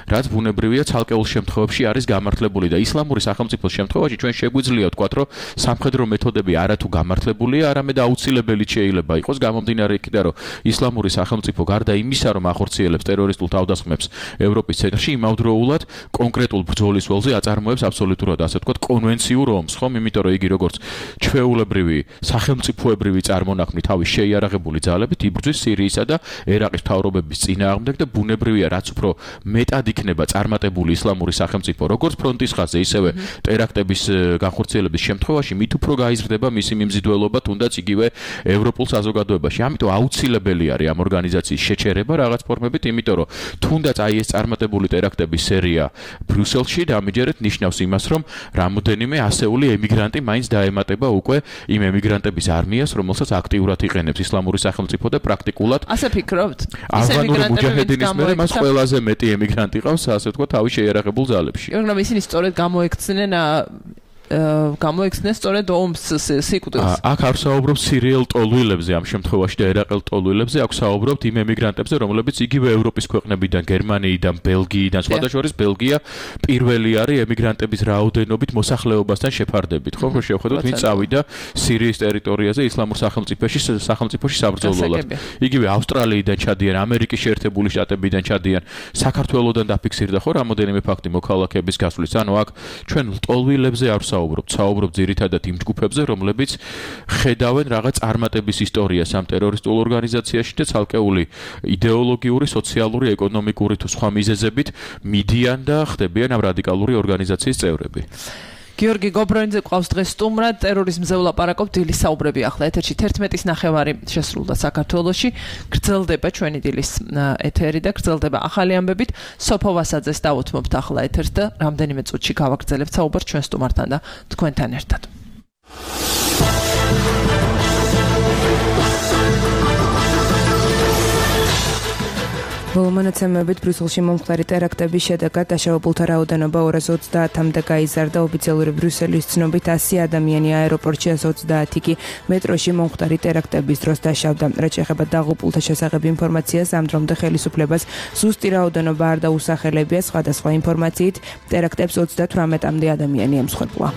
Speaker 7: რაც ბუნებრივია ცალკეულ შემთხვევებში არის გამართლებული და ისლამური სახელმწიფოს შემთხვევაში ჩვენ შეგვიძლია ვთქვათ, რომ სამხედრო მეთოდები არათუ გამართლებულია, არამედ აუცილებელი შეიძლება იყოს გამომდინარე იქიდან, რომ ისლამური სახელმწიფო გარდა იმისა, რომ ახორციელებს ტერორისტულ თავდასხმებს ევროპის ცენტრში, იმავდროულად კონკრეტულ ბრძოლის ველზე აწარმოებს აბსოლუტურად ასე ვთქვათ კონვენციურ ომს, ხომ? იმიტომ რომ იგი როგორც ჩვეულებრივი სახელმწიფოებრივი წარმონაქმნი თავის შეიარაღებული ძალებით იბრძვის სირიისა და ერაყის მთავრობების წინააღმდეგ და ბუნებრივია, რაც უფრო მეტად იქნება წარმატებული ისლამური სახელმწიფო, როგორც ფრონტის ხაზზე, ისევე ტერაქტების განხორციელების შემთხვევაში მით უფრო გაიზრდება მისი მიმზიდველობა თუნდაც იგივე ევროპულ საზოგადოებაში. ამიტომ აუცილებელი არის ამ ორგანიზაციის შეჩერება რაღაც ფორმებით, იმიტომ რომ თუნდაც აი ეს წარმატებული ტერაქტების სერია ბრიუსელში დამიჯერეთ ნიშნავს იმას, რომ რამოდენიმე ასეული ემიგრანტი მაინც დაემატება უკვე იმ ემიგრანტების არმიას, რომელსაც აქტიურად იყენებს ისლამური სახელმწიფო და პრაქტიკულად
Speaker 5: ასე ფიქრობთ?
Speaker 7: ავღანური მუჯაჰედინის მერე მას ყველაზე მეტი ემიგრანტი ყავს, ასე ვთქვათ, თავის შეიარაღებულ ძალებში.
Speaker 5: მაგრამ ისინი სწორედ გამოექცნენ გამოიქცნენ სწორედ ომს სიკვდილს.
Speaker 7: აქ არ საუბრობ სირიელ ტოლვილებზე ამ შემთხვევაში და ერაყელ ტოლვილებზე, აქ საუბრობთ იმ ემიგრანტებზე, რომლებიც იგივე ევროპის ქვეყნებიდან, გერმანიიდან, ბელგიიდან, სხვადასხვა ბელგია პირველი არის ემიგრანტების რაოდენობით მოსახლეობასთან შეფარდებით, ხო? რომ შევხედოთ, ვინ წავიდა სირიის ტერიტორიაზე ისლამურ სახელმწიფოში საბრძოლველად. იგივე ავსტრალიიდან ჩადიან, ამერიკის შეერთებული შტატებიდან ჩადიან, საქართველოსდან დაფიქსირდა ხო რამოდენიმე ფაქტი მოქალაქეების გასვლის. ანუ აქ ჩვენ ტოლვილებზე არ საუბრობთ, საუბრობთ ძირითადად იმ ჯგუფებზე, რომლებიც ხედავენ რაღაც წარმატების ისტორიას ამ ტერორისტულ ორგანიზაციაში და ცალკეული იდეოლოგიური, სოციალური, ეკონომიკური თუ სხვა მიზეზებით მიდიან და ხდებიან ამ რადიკალური ორგანიზაციის წევრები.
Speaker 5: გიორგი გობრონიძე ყავს დღეს სტუმრად, ტერორიზმზე ვლაპარაკობთ, დილის საუბრები ახლა ეთერში 11:09 შესრულდა საქართველოში. გრძელდება ჩვენი დილის ეთერი და გრძელდება ახალი ამბებით. სოფო ვასაძეს დავუთმობთ ახლა ეთერს და რამდენიმე წუთში გავაგრძელებთ საუბარს ჩვენ სტუმართან და თქვენთან ერთად.
Speaker 2: მონაცემებით ბრიუსელში მომხდარი ტერაქტების შედეგად დაშავებულთა რაოდენობა 230-მდე გაიზარდა. ოფიციალური ბრიუსელის ცნობით 100 ადამიანი აეროპორტში, 130 კი მეტროში მომხდარი ტერაქტების დროს დაშავდა. რაც შეეხება დაღუპულთა შესახებ ინფორმაციას, ამ დრომდე ხელისუფლებას ზუსტი რაოდენობა არ დაუსახელებია. სხვადასხვა ინფორმაციით ტერაქტებს 38-მდე ადამიანი ემსხვერპლა.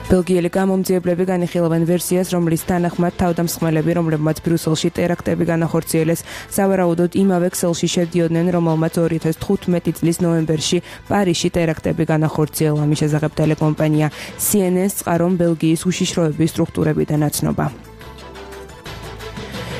Speaker 2: ბელგიელი გამომძიებლები განიხილავენ ვერსიას, რომლის თანახმად თავდამსხმელები, რომლებმაც ბრიუსელში ტერაქტები განახორციელეს, სავარაუდოდ იმავე ქსელში შედიოდნენ, რომელმაც 2015 წლის ნოემბერში პარიზში ტერაქტები განახორციელა. ამის შესახებ ტელეკომპანია CNN-ს წყარომ ბელგიის უშიშროების სტრუქტურებიდან აცნობა.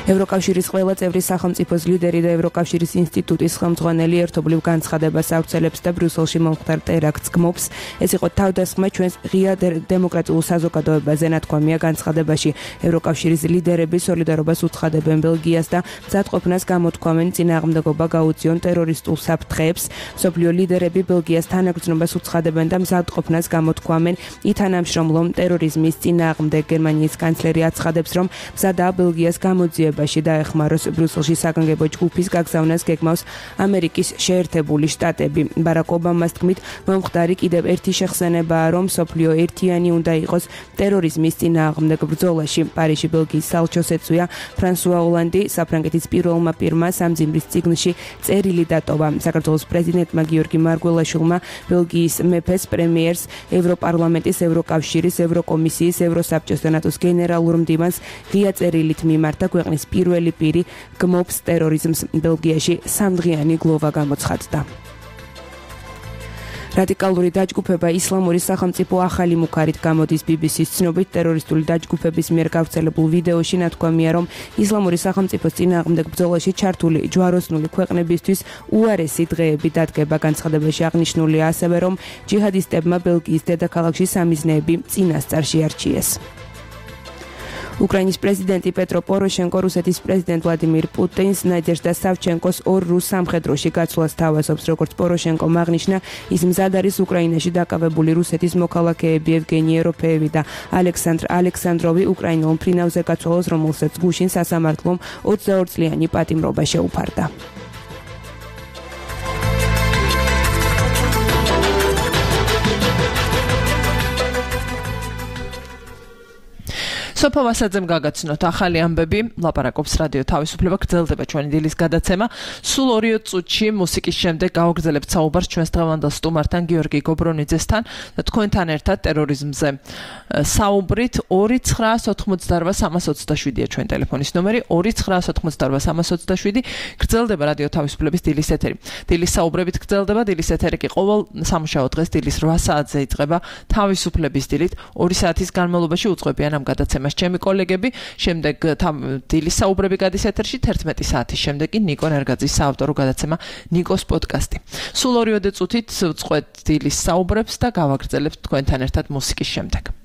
Speaker 2: ევროკავშირის ყველა წევრი სახელმწიფოს ლიდერი და ევროკავშირის ინსტიტუტის ხელმძღვანელი ერთობლივ განცხადებას ავრცელებს და ბრიუსელში მომხდარ ტერაქტს გმობს. ეს იყო თავდასხმა ჩვენს ღია დემოკრატიულ საზოგადოებაზე, ნათქვამია განცხადებაში. ევროკავშირის ლიდერები სოლიდარობას უცხადებენ ბელგიას და მზადყოფნას გამოთქვამენ წინააღმდეგობა გაუწიონ ტერორისტულ საფრთხეებს. მსოფლიო ლიდერები ბელგიას თანაგრძნობას უცხადებენ და მზადყოფნას გამოთქვამენ ითანამშრომლონ ტერორიზმის წინააღმდეგ. გერმანიის კანცლერი აცხადებს, რომ მზადაა ბელგიას გამოძიება დაეხმაროს ბრიუსელში საგანგებო ჯგუფის გაგზავნას გეგმავს ამერიკის შეერთებული შტატები. ბარაკ ობამას თქმით, მომხდარი კიდევ ერთი შეხსენებაა, რომ მსოფლიო ერთიანი უნდა იყოს ტერორიზმის წინააღმდეგ ბრძოლაში. პარიზში ბელგიის საელჩოს ეწვია ფრანსუა ოლანდი, საფრანგეთის პირველმა პირმა სამძიმრის წიგნში წერილი დატოვა. საქართველოს პრეზიდენტმა გიორგი მარგველაშვილმა ბელგიის მეფეს, პრემიერს, ევროპარლამენტის, ევროკავშირის, ევროკომისიის, ევროსაბჭოს და ნატოს გენერალურ მდივანს ღია წერილით მიმართა. ქვეყნის პირველი პირი გმობს ტერორიზმს. ბელგიაში 3დღიანი გლოვა გამოცხადდა. რადიკალური დაჯგუფება ისლამური სახელმწიფო ახალი მუქარით გამოდის. BBC-ს ცნობით, ტერორისტული დაჯგუფების მიერ გავრცელებულ ვიდეოში ნათქვამია, რომ ისლამური სახელმწიფოს წინააღმდეგ ბრძოლაში ჩართული ჯვაროსნული ქვეყნებისთვის უარესი დღეები დადგება. განცხადებაში აღნიშნულია ასევე, რომ ჯიჰადისტებმა ბელგიის დედაქალაქში სამიზნეები წინასწარ შეარჩიეს. უკრაინის პრეზიდენტი პეტრო პოროშენკო რუსეთის პრეზიდენტ ვლადიმირ პუტინს, ნადეჟდა და სავჩენკოს ორ რუს სამხედროში გაცვლას თავაზობს. როგორც პოროშენკომ აღნიშნა, ის მზად არის უკრაინაში დაკავებული რუსეთის მოქალაქეები ევგენი ეროფეევი და ალექსანდრ ალექსანდროვი უკრაინულ მფრინავზე გაცვალოს, რომელსაც გუშინ სასამართლომ 22 წლიანი პატიმრობა შეუფარდა.
Speaker 5: სოფო ვასაძემ გაგაცნოთ ახალი ამბები. ლაპარაკობს რადიო თავისუფლება, გრძელდება ჩვენი დილის გადაცემა. სულ 2 წუთში მუსიკის შემდეგ გავაგრძელებთ საუბარს ჩვენს დღევანდელ სტუმართან გიორგი გობრონიძესთან და თქვენთან ერთად ტერორიზმზე საუბრით. 2988327-ია ჩვენ ტელეფონის ნომერი, 2988327. გრძელდება რადიო თავისუფლების დილის ეთერი. დილის საუბრებით გრძელდება. დილის ეთერი კი ყოველ სამუშაო დღეს დილის 8 საათზე იწყება თავისუფლების დილით. 2 საათის განმავლობაში უძღვებიან ამ გადაცემას ჩემი კოლეგები. შემდეგ დილის საუბრები გადის ეთერში 11 საათის შემდეგ კი ნიკო ნერგაძის საავტორო გადაცემა ნიკოს პოდკასტი. სულ 2 წუთით ვწყვეთ დილის საუბრებს და გავაგრძელებთ თქვენთან ერთად მუსიკის შემდეგ.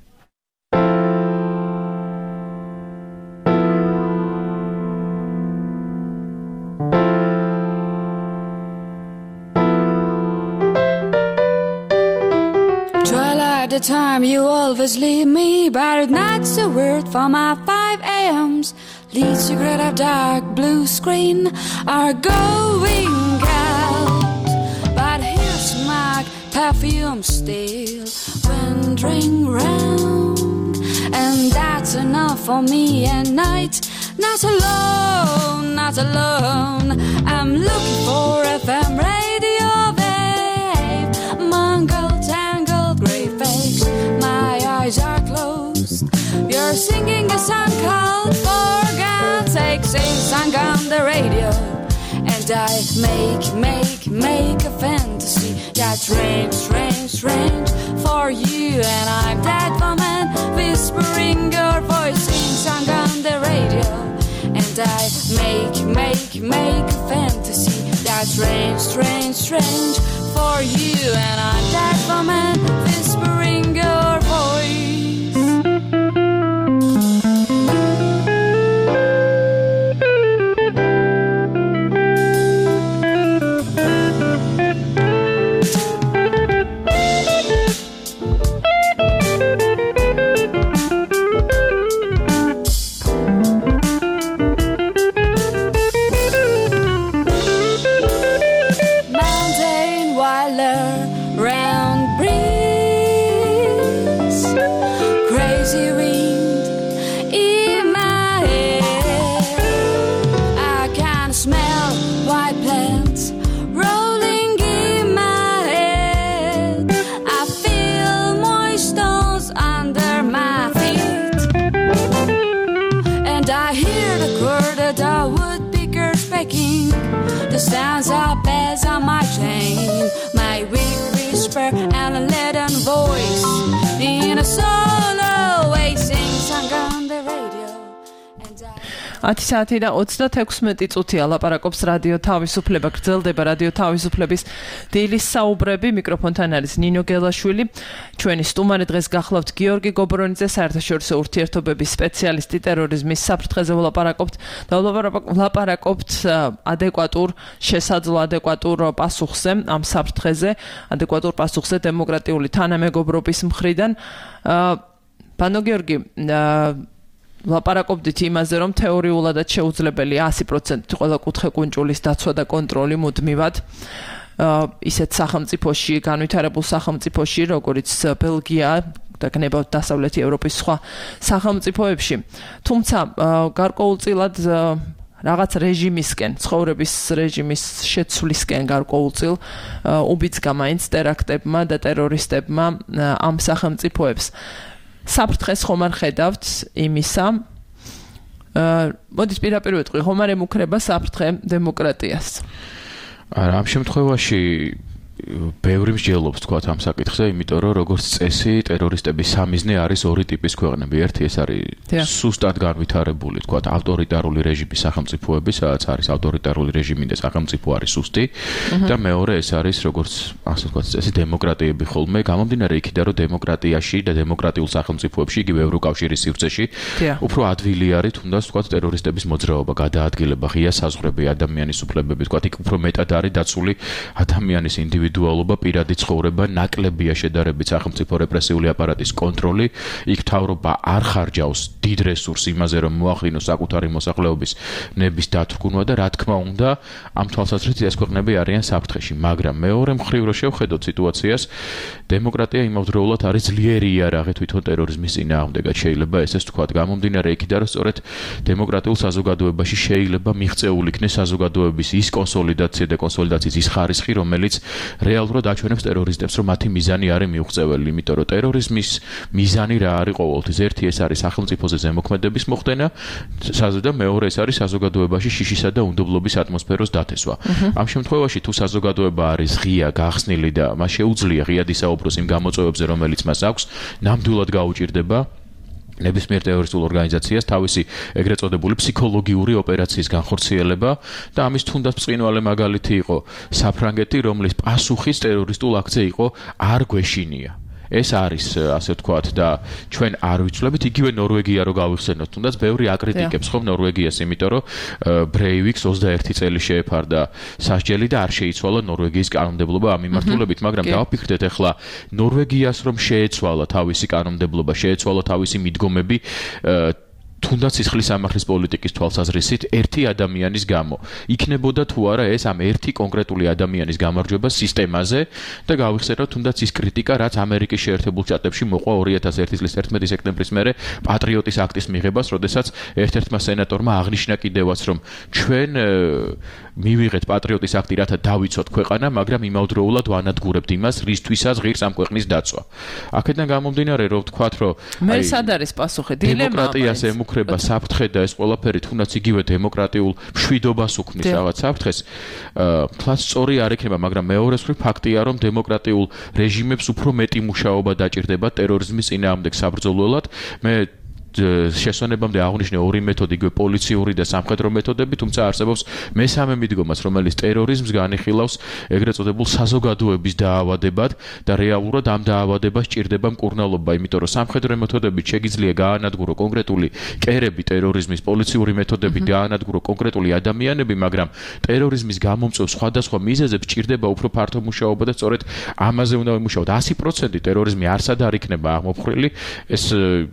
Speaker 8: The time you always leave me, but not a word for my 5 a.m.s. Lead cigarette of dark blue screen are going out, but here's my perfume still wandering round, and that's enough for me at night. Not alone, not alone. I'm looking for FM radio, babe. Mangled, tangled, grey fakes. My eyes are closed. You're singing a song called For God's Sake. Sing song on the radio, and I make a fantasy that's strange, strange, strange for you. And I'm that woman whispering your voice. Sing song on the radio, and I make a fantasy that's strange, strange, strange for you. And I'm that woman whispering your voice. The sounds are bells on my chain, my weak whisper and a leaden voice in a solo way sing song on the radio.
Speaker 5: 10 საათი და 36 წუთია ლაპარაკობს რადიო თავისუფლება, გრძელდება რადიო თავისუფლების დილის საუბრები. მიკროფონთან არის ნინო გელაშვილი. ჩვენი სტუმარი დღეს გახლავთ გიორგი გობრონიძე, საერთაშორისო ურთიერთობების სპეციალისტი, ტერორიზმის საფრთხეზე ვლაპარაკობთ და ვლაპარაკობთ ადეკვატურ, შესაძლო ადეკვატურ პასუხზე ამ საფრთხეზე, ადეკვატურ პასუხზე დემოკრატიული თანამეგობრობის მხრიდან. ბანო გიორგი, ლაპარაკობდით იმაზე, რომ თეორიულადაც შეუძლებელი 100% ყველა კუთხე-კუნჭულის დაცვა და კონტროლი მუდმივად ისეთ სახელმწიფოში, განვითარებულ სახელმწიფოში, როგორც ბელგია და გნებავთ დასავლეთი ევროპის სხვა სახელმწიფოებში. თუმცა გარკვეულწილად რაღაც რეჟიმისკენ, ცხოვრების რეჟიმის შეცვლისკენ გარკვეულწილ უბიძგა მაინც ტერაქტებმა და ტერორისტებმა ამ სახელმწიფოებს. საფრთხეს ხომ არ ხედავთ იმისა? მოდით პირდაპირ ვეტყვი, ხომ არ ემუქრება საფრთხე დემოკრატიას?
Speaker 7: არა, ამ შემთხვევაში ბევრი მსჯელობს თქვა ამ საკითხზე, იმიტომ რომ როგორც წესი ტერორისტების სამიზნე არის ორი ტიპის ქვეყნები. ერთი ეს არის სუსტად განვითარებული, თქვა ავტორიტარული რეჟიმის სახელმწიფოები, სადაც არის ავტორიტარული რეჟიმი და სახელმწიფო არის სუსტი, და მეორე ეს არის როგორც ასე თქვა წესი დემოკრატიები ხოლმე, გამომდინარე იქიდან რომ დემოკრატიაში და დემოკრატიულ სახელმწიფოებში, იგივე ევროკავშირის სივრცეში, უფრო ადვილი არის თუნდაც თქვა ტერორისტების მოძრაობა, გადაადგილება, ღია საზღვრები, ადამიანის უფლებები, თქვა იქ უფრო მეტად არის დაცული ადამიანის ინდივიდუალობა, პირადი ცხოვრება, ნაკლებია შედარებით სახელმწიფო რეპრესიული აპარატის კონტროლი, იქ მთავრობა არ ხარჯავს დიდ რესურსს იმაზე, რომ მოახდინოს საკუთარი მოსახლეობის ნების დათრგუნვა და რა თქმა უნდა, ამ თვალსაზრისით ეს ქვეყნები არიან საფრთხეში, მაგრამ მეორე მხრივ რო შევხედოთ სიტუაციას, დემოკრატია იმავდროულად არის ძლიერი იარაღი თვითონ ტერორიზმის წინააღმდეგად. შეიძლება ესეც თქვა, გამომდინარე იქიდან, რომ სწორედ დემოკრატიულ საზოგადოებაში შეიძლება მიღწეული იქნეს საზოგადოების ის კონსოლიდაცია და კონსოლიდაციის ის ხარისხი, რომელიც რეალურად აჩვენებს ტერორისტებს, რომ მათი მიზანი არის მიუღწეველი, იმიტომ რომ ტერორიზმის მიზანი რა არის ყოველთვის? ერთი ეს არის სახელმწიფოზე ზემოქმედების მოხდენა, და მეორე ეს არის საზოგადოებაში შიშისა და უნდობლობის ატმოსფეროს დათესვა. ამ შემთხვევაში თუ საზოგადოება არის ღია, გახსნილი და მას შეუძლია ღიად ისაუბროს იმ გამოწვევებზე, რომელიც მას აქვს, ნამდვილად გაუჭირდება ნებისმიერ ტერორისტულ ორგანიზაციას თავისი ეგრეთ წოდებული ფსიქოლოგიური ოპერაციის განხორციელება და ამის თუნდაც ბრწყინვალე მაგალითი იყო საფრანგეთი, რომლის პასუხის ტერორისტულ აქცია იყო არ გვეშინია. ეს არის ასე ვთქვათ და ჩვენ არ ვიცვლებით, იგივე ნორვეგია რო გავიხსენოთ, თუნდაც ბევრი აკრიტიკებს ხომ ნორვეგიას, იმიტომ რომ ბრეივიქს 21 წელი შეეფარდა სასჯელი და არ შეიცვალა ნორვეგიის კანონმდებლობა ამ მიმართულებით, მაგრამ დავაფიქრდეთ ახლა ნორვეგიას რომ შეეცვალა თავისი კანონმდებლობა, შეეცვალა თავისი მიდგომები, თუნდაც სისხლის სამართლის პოლიტიკის თვალსაზრისით ერთი ადამიანის გამო. იქნებოდა თუ არა ეს ამ ერთი კონკრეტული ადამიანის გამარჯვება სისტემაზე და გავიხსენოთ თუნდაც ის კრიტიკა, რაც ამერიკის შეერთებულ შტატებში მოყვა 2001 წლის 11 სექტემბრის მერე პატრიოტის აქტის მიღებას, როდესაც ერთ-ერთმა სენატორმა აღნიშნა კიდევაც, რომ ჩვენ მივიღეთ პატრიოტის აქტი, რათა დავიცოთ ქვეყანა, მაგრამ იმავდროულად ვანადგურებთ იმას, რისთვისაც ღირს ამ ქვეყნის დაცვა. აქედან გამომდინარე, რომ ვთქვათ, რომ
Speaker 5: მე სად არის პასუხი?
Speaker 7: დემოკრატიას ემუქრება საფრთხე და ეს ყველაფერი თუნდაც იგივე დემოკრატიულ მშვიდობას უქმნის რაღაც საფრთხეს, თლაც სწორი არ იქნება, მაგრამ მეორე მხრივ ფაქტია, რომ დემოკრატიულ რეჟიმებს უფრო მეტი მუშაობა დაჭირდება ტერორიზმის წინააღმდეგ საბრძოლველად. მე შესვენებამდე აღნიშნე ორი მეთოდი, იგივე პოლიციური და სამხედრო მეთოდები, თუმცა არსებობს მესამე მიდგომაც, რომელიც ტერორიზმს განიხილავს ეგრეთ წოდებულ საზოგადოების დაავადებად და რეალურად ამ დაავადებას ჭირდება მკურნალობა, იმიტომ რომ სამხედრო მეთოდებით შეგიძლია გაანადგურო კონკრეტული კერები ტერორიზმის, პოლიციური მეთოდებით გაანადგურო კონკრეტული ადამიანები, მაგრამ ტერორიზმის გამომწვევ სხვადასხვა მიზეზებს ჭირდება უფრო ფართო მუშაობა და სწორედ ამაზე უნდა ვიმუშაოთ. 100% ტერორიზმი არსად არ იქნება აღმოფხრილი, ეს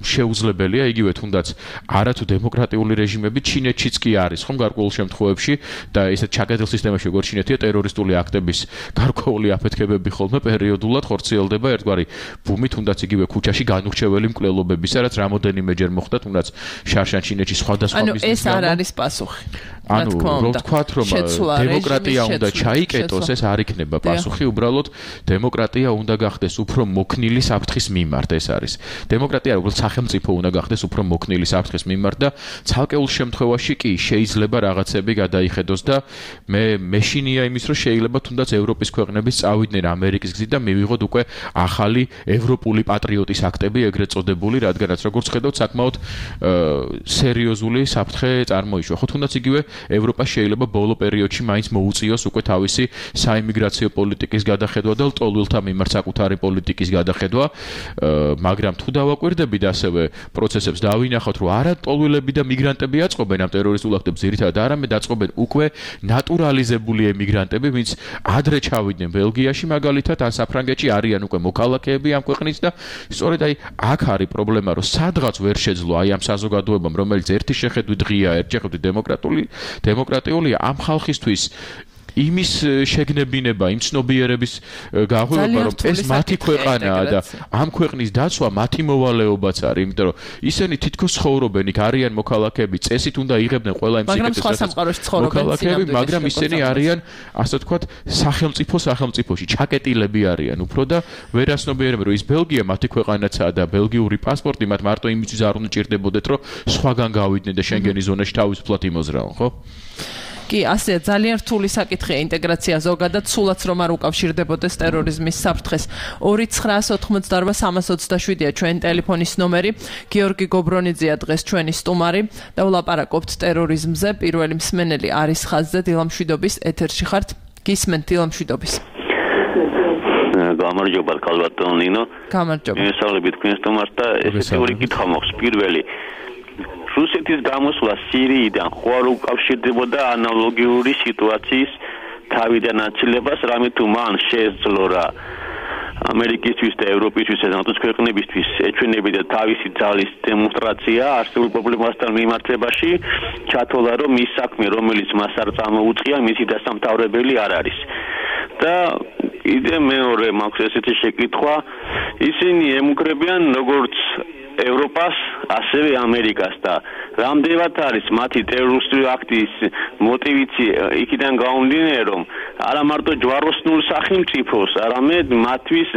Speaker 7: შეუძლებელია. იგივე თუნდაც არათუ დემოკრატიული რეჟიმები ჩინეთშიც კი არის, ხომ გარკვეულ შემთხვევებში და ესეთ ჩაკეტილ სისტემაში როგორ ჩინეთია ტერორისტული აქტების გარკვეული აფეთქებები ხოლმე პერიოდულად ხორციელდება ერთგვარი ბუმი, თუნდაც იგივე ქუჩაში განურჩეველი მკვლელობებისა, რაც რამოდენიმეჯერ მოხდა, თუნდაც შარშან ჩინეთში სხვადასხვა მიზნით.
Speaker 5: ეს არ არის პასუხი.
Speaker 7: ანუ რომ ვთქვათ, რომ დემოკრატია უნდა ჩაიკეტოს, ეს არ იქნება პასუხი, უბრალოდ დემოკრატია უნდა გახდეს უფრო მოქნილი საფრთხის მიმართ, ეს არის. დემოკრატია როგორც სახელმწიფო უნდა გახდეს უფრო მოქნილი საფრთხის მიმართ და ცალკეულ შემთხვევაში კი შეიძლება რაღაცები გადაიხედოს და მე მეშინია იმის, რომ შეიძლება თუნდაც ევროპის ქვეყნები წავიდნენ ამერიკის გზით და მივიღოთ უკვე ახალი ევროპული პატრიოტის აქტები, ეგრეთ წოდებული, რადგანაც როგორც ხედავთ, საკმაოდ სერიოზული საფრთხე წარმოიშვა. ხო თუნდაც იგივე ევროპა შეიძლება ბოლო პერიოდში მაინც მოუწიოს უკვე თავისი საიმიგრაციო პოლიტიკის გადახედვა და ლტოლვილთა მიმართ საკუთარი პოლიტიკის გადახედვა, მაგრამ თუ დავაკვირდებით ასევე პროცესებს დავინახოთ, რომ არა ლტოლვილები და მიგრანტები აწყობენ ამ ტერორისტულ აქტებს, ძირითადად არამედ აწყობენ უკვე ნატურალიზებული ემიგრანტები, ვინც ადრე ჩავიდნენ ბელგიაში მაგალითად, ან საფრანგეთში არიან უკვე მოქალაქეები ამ ქვეყნის და სწორედ აქ არის პრობლემა, რომ სადღაც ვერ შეძლო ამ საზოგადოებამ, რომელიც ერთი შეხედვით ღია, ერთი შეხედვით დემოკრატიულია, ამ ხალხისთვის იმის შეგნებინება, იმ ცნობიერების გაღვივა, რომ ეს მათი ქვეყანაა და ამ ქვეყნის დაცვა მათი მოვალეობაც არის, იმიტომ რომ ისინი თითქოს ცხოვრობენ, იქ არიან მოქალაქეები, წესით უნდა იღებდნენ ყველა იმ მოქალაქეები, მაგრამ ისინი არიან, ასე ვთქვათ, სახელმწიფოში ჩაკეტილები არიან უფრო და ვერ ასნობიერებენ, რომ ის ბელგია მათი ქვეყანაცაა და ბელგიური პასპორტი მათ მარტო იმისთვის არ უნდა ჭირდებოდეთ, რომ სხვაგან გავიდნენ და შენგენის ზონაში თავისუფლად იმოზრაონ, ხო?
Speaker 5: კი, ასე ძალიან რთული საკითხია ინტეგრაცია ზოგადად, სულაც რომ არ უკავშირდებოდეს ტერორიზმის საფრთხეს. 2988327-ია ჩვენ ტელეფონის ნომერი. გიორგი გობრონიძეა დღეს ჩვენი სტუმარი და ვლაპარაკობთ ტერორიზმზე. პირველი მსმენელი არის ხაზზე, დილამშვიდობის ეთერში ხართ. გისმენთ დილამშვიდობის.
Speaker 9: გამარჯობა ქალბატონ ნინო.
Speaker 5: გამარჯობა.
Speaker 9: მისავლებით თქვენ სტუმარს და ესეთი ორი კითხვა მაქვს. პირველი, რუსეთის გამოსვლა სირიიდან ხო არ უკავშირდებოდა ანალოგიური სიტუაციის თავიდან აცილებას, რამე თუ მან შეეძლო რა ამერიკისთვის და ევროპისთვის და ნატოს ქვეყნებისთვის ეჩვენებიდა თავისი ძალის დემონსტრაცია არსებულ პრობლემასთან მიმართებაში, ჩათვალა რომ ის საქმე, რომელიც მას არ წამოუწყია, მისი დასამთავრებელი არ არის. და კიდე მეორე მაქვს ესეთი შეკითხვა, ისინი ემუქრებიან როგორც ევროპას, ასევე ამერიკას და რამდენად არის მათი ტერორისტული აქტის მოტივიცი იქიდან გამომდინარე, რომ არა მარტო ჯვაროსნულ სახელმწიფოს, არამედ მათთვის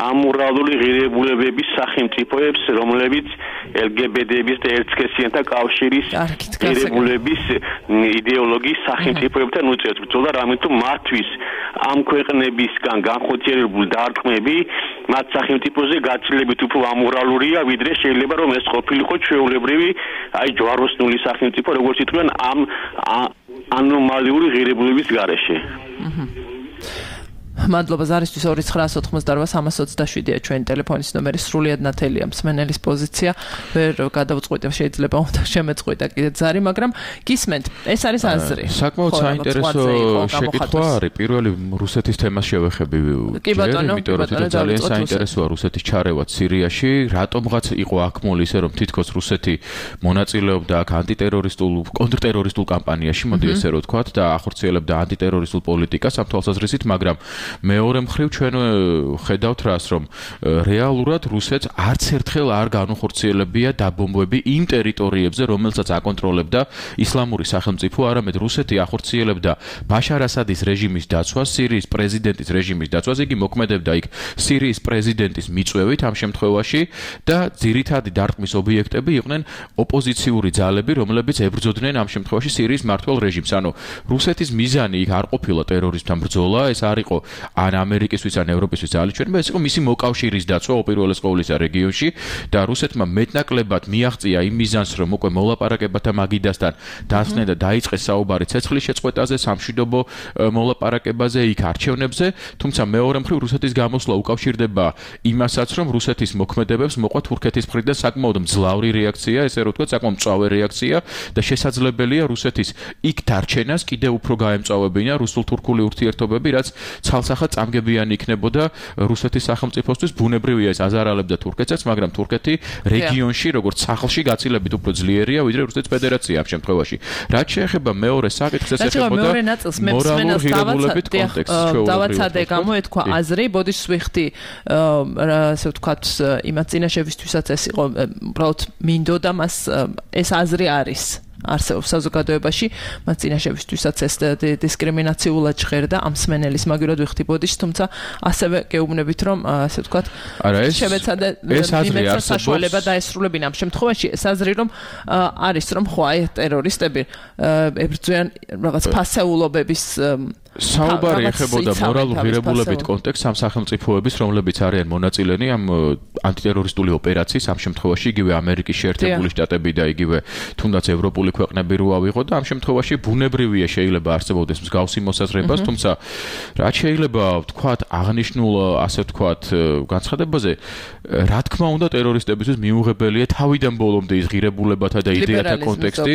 Speaker 9: ამორალური ღირებულებების სახელმწიფოებს, რომლებიც LGBT-ების და ერთსქესიანთა კავშირის ღირებულების იდეოლოგიის სახელმწიფოებთან უწევთ ბრძოლა, რამე თუ მათთვის ამ ქვეყნებისგან განხორციელებული დარტყმები მათ სახელმწიფოზე გაცილებით უფრო ამორალურია, ვიდრე შეიძლება რომ ეს ყოფილიყო ჩვეულებრივი ჯვაროსნული სახელმწიფო, როგორც იტყვიან ამ ანომალიური ღირებულების გარეშე.
Speaker 5: მადლობა ზარისთვის 2988-327-ია ჩვენი ტელეფონის ნომერი სრულიად ნათელია მსმენელის პოზიცია ვერ გადავწყვიტე შეიძლება უნდა შემეწყვიტა კიდე ზარი მაგრამ გისმენთ ეს არის აზრი
Speaker 7: საკმაოდ საინტერესო შეკითხვა არის პირველი რუსეთის თემას შევეხები იმიტომ რომ ძალიან საინტერესოა რუსეთის ჩარევა სირიაში რატომღაც იყო აქმული ისე რომ თითქოს რუსეთი მონაწილეობდა აქ ანტიტერორისტულ კონტრტერორისტულ კამპანიაში მოდი ესე რომ ვთქვათ და ახორციელებდა ანტიტერორისტულ პოლიტიკას ამ თვალსაზრისით მაგრამ მეორე მხრივ ჩვენ ხედავთ რას რომ რეალურად რუსეთს არც ერთხელ არ განუხორციელებია დაბომბვები იმ ტერიტორიებზე რომელსაც აკონტროლებდა ისლამური სახელმწიფო არამედ რუსეთი ახორციელებდა ბაშარ ასადის რეჟიმის დაცვას სირიის პრეზიდენტის რეჟიმის დაცვას იგი მოქმედებდა იქ სირიის პრეზიდენტის მიწვევით ამ შემთხვევაში და ძირითადი დარტყმის ობიექტები იყვნენ ოპოზიციური ძალები რომლებიც ებრძოდნენ ამ შემთხვევაში სირიის მმართველ რეჟიმს ანუ რუსეთის მიზანი იქ არ ყოფილა ტერორიზმთან ბრძოლა ეს არ იყო ან ამერიკისთვის ან ევროპისთვის ძალიჩვენება ეს იყო მისი მოკავშირის დაცვა უპირველეს ყოვლისა რეგიონში და რუსეთმა მეტნაკლებად მიაღწია იმ მიზანს რომ უკვე მოლაპარაკებათა მაგიდასთან დასწნენ და დაიწყეს საუბარი ცეცხლის შეწყვეტაზე სამშვიდობო მოლაპარაკებაზე იქ არჩევნებზე თუმცა მეორე მხრივ რუსეთის გამოსვლა უკავშირდება იმასაც რომ რუსეთის მოქმედებებს მოყვა თურქეთის მხრიდან საკმაოდ მძლავრი რეაქცია ესე რომ ვთქვათ საკმაოდ მწვავე რეაქცია და შესაძლებელია რუსეთის იქ დარჩენას კიდევ უფრო გაემწვავებინა რუსულ-თურქული ურთიერთობები რაც ცალსახად წამგებიანი იქნებოდა რუსეთის სახელმწიფოსთვის ბუნებრივია ეს აზარალებდა თურქეთსაც მაგრამ თურქეთი რეგიონში როგორც სახლში გაცილებით უფრო ძლიერია ვიდრე რუსეთის ფედერაცია ამ შემთხვევაში რაც შეეხება მეორე საკითხს ეს ეხებოდა მორალურ ღირებულებით კონტექსტს
Speaker 5: დავაცადე გამოეთქვა აზრი ბოდიშ ვიხდი ასე ვთქვათ იმათ წინაშევისთვისაც ეს იყო უბრალოდ მინდოდა მას ეს აზრი არის არსებობს საზოგადოებაში მას წინაშევისთვისაც ეს დისკრიმინაციულად ჟღერდა ამ სმენელის მაგივრად ვიხდი ბოდიშს თუმცა ასევე გეუბნებით რომ ასე ვთქვათ შემეცადე იმეცა საშუალება დაესრულებინა ამ შემთხვევაში ეს აზრი რომ არის რომ ხო აი ტერორისტები ებრძვიან რაღაც ფასეულობების
Speaker 7: საუბარი ეხებოდა მორალურ ღირებულებით კონტექსტს ამ სახელმწიფოების რომლებიც არიან მონაწილენი ამ ანტიტერორისტული ოპერაციის ამ შემთხვევაში იგივე ამერიკის შეერთებული შტატები და იგივე თუნდაც ევროპული ქვეყნები რო ავიღოთ და ამ შემთხვევაში ბუნებრივია შეიძლება არსებობდეს მსგავსი მოსაზრებას თუმცა რაც შეიძლება ვთქვათ აღნიშნულ ასე ვთქვათ განცხადებაზე რა თქმა უნდა ტერორისტებისთვის მიუღებელია თავიდან ბოლომდე ის ღირებულებათა და იდეათა კონტექსტი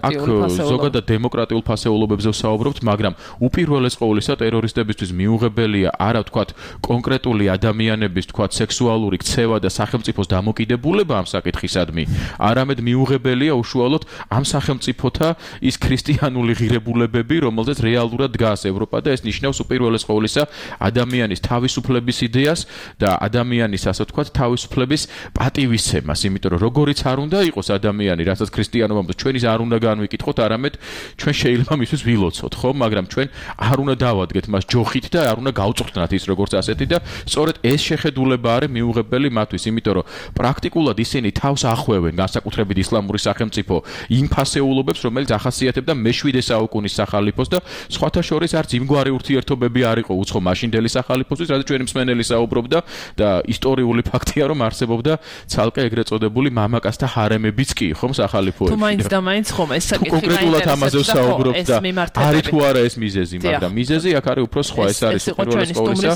Speaker 7: აქ ზოგადად დემოკრატიულ ფასეულობებზე ვსაუბრობთ მაგრამ უპირველეს ყოვლისა ტერორისტებისთვის მიუღებელია არა ვთქვათ კონკრეტული ადამიანების ვთქვათ სექსუალური ქცევა და სახელმწიფოს დამოკიდებულება ამ საკითხისადმი არამედ მიუღებელია უშუალოდ ამ სახელმწიფოთა ის ქრისტიანული ღირებულებები რომელზეც რეალურად დგას ევროპა და ეს ნიშნავს უპირველეს ყოვლისა ადამიანის თავისუფლების იდეას და ადამიანის ასე ვთქვათ თავისუფლების პატივისცემას იმიტომ რომ როგორიც არ უნდა იყოს ადამიანი რასაც ქრისტიანობამ ჩვენის არ უნდა განვიკითხოთ არამედ ჩვენ შეიძლება მისთვის ვილოცოთ ხო მაგრამ ჩვენ არ უნდა დავადგეთ მას ჯოხით და არ უნდა გავწვრთნათ ის როგორც ასეთი და სწორედ ეს შეხედულება არის მიუღებელი მათთვის იმიტომ რომ პრაქტიკულად ისინი თავს ახვევენ განსაკუთრებით ისლამური სახელმწიფო იმ ფასეულობებს რომელიც ახასიათებდა მე-7 საუკუნის სახალიფოს და სხვათა შორის არც იმგვარი ურთიერთობები არ იყო უცხო მაშინდელი სახალიფოსთვის რაც ჩვენი მსმენელი საუბრობდა და ისტორიული ფაქტია რომ არსებობდა ცალკე ეგრეთ წოდებული მამაკაცთა ჰარემებიც კი ხომ სახალიფოებში
Speaker 5: თუ მაინც და მაინც ხომ ეს საკითხი
Speaker 7: კონკრეტულად ამაზე ვსაუბრობთ და არის თუ არა ეს მიზეზი მაგრამ მიზეზი აქ არის უფრო სხვა ეს არის პირველის ყოვლისა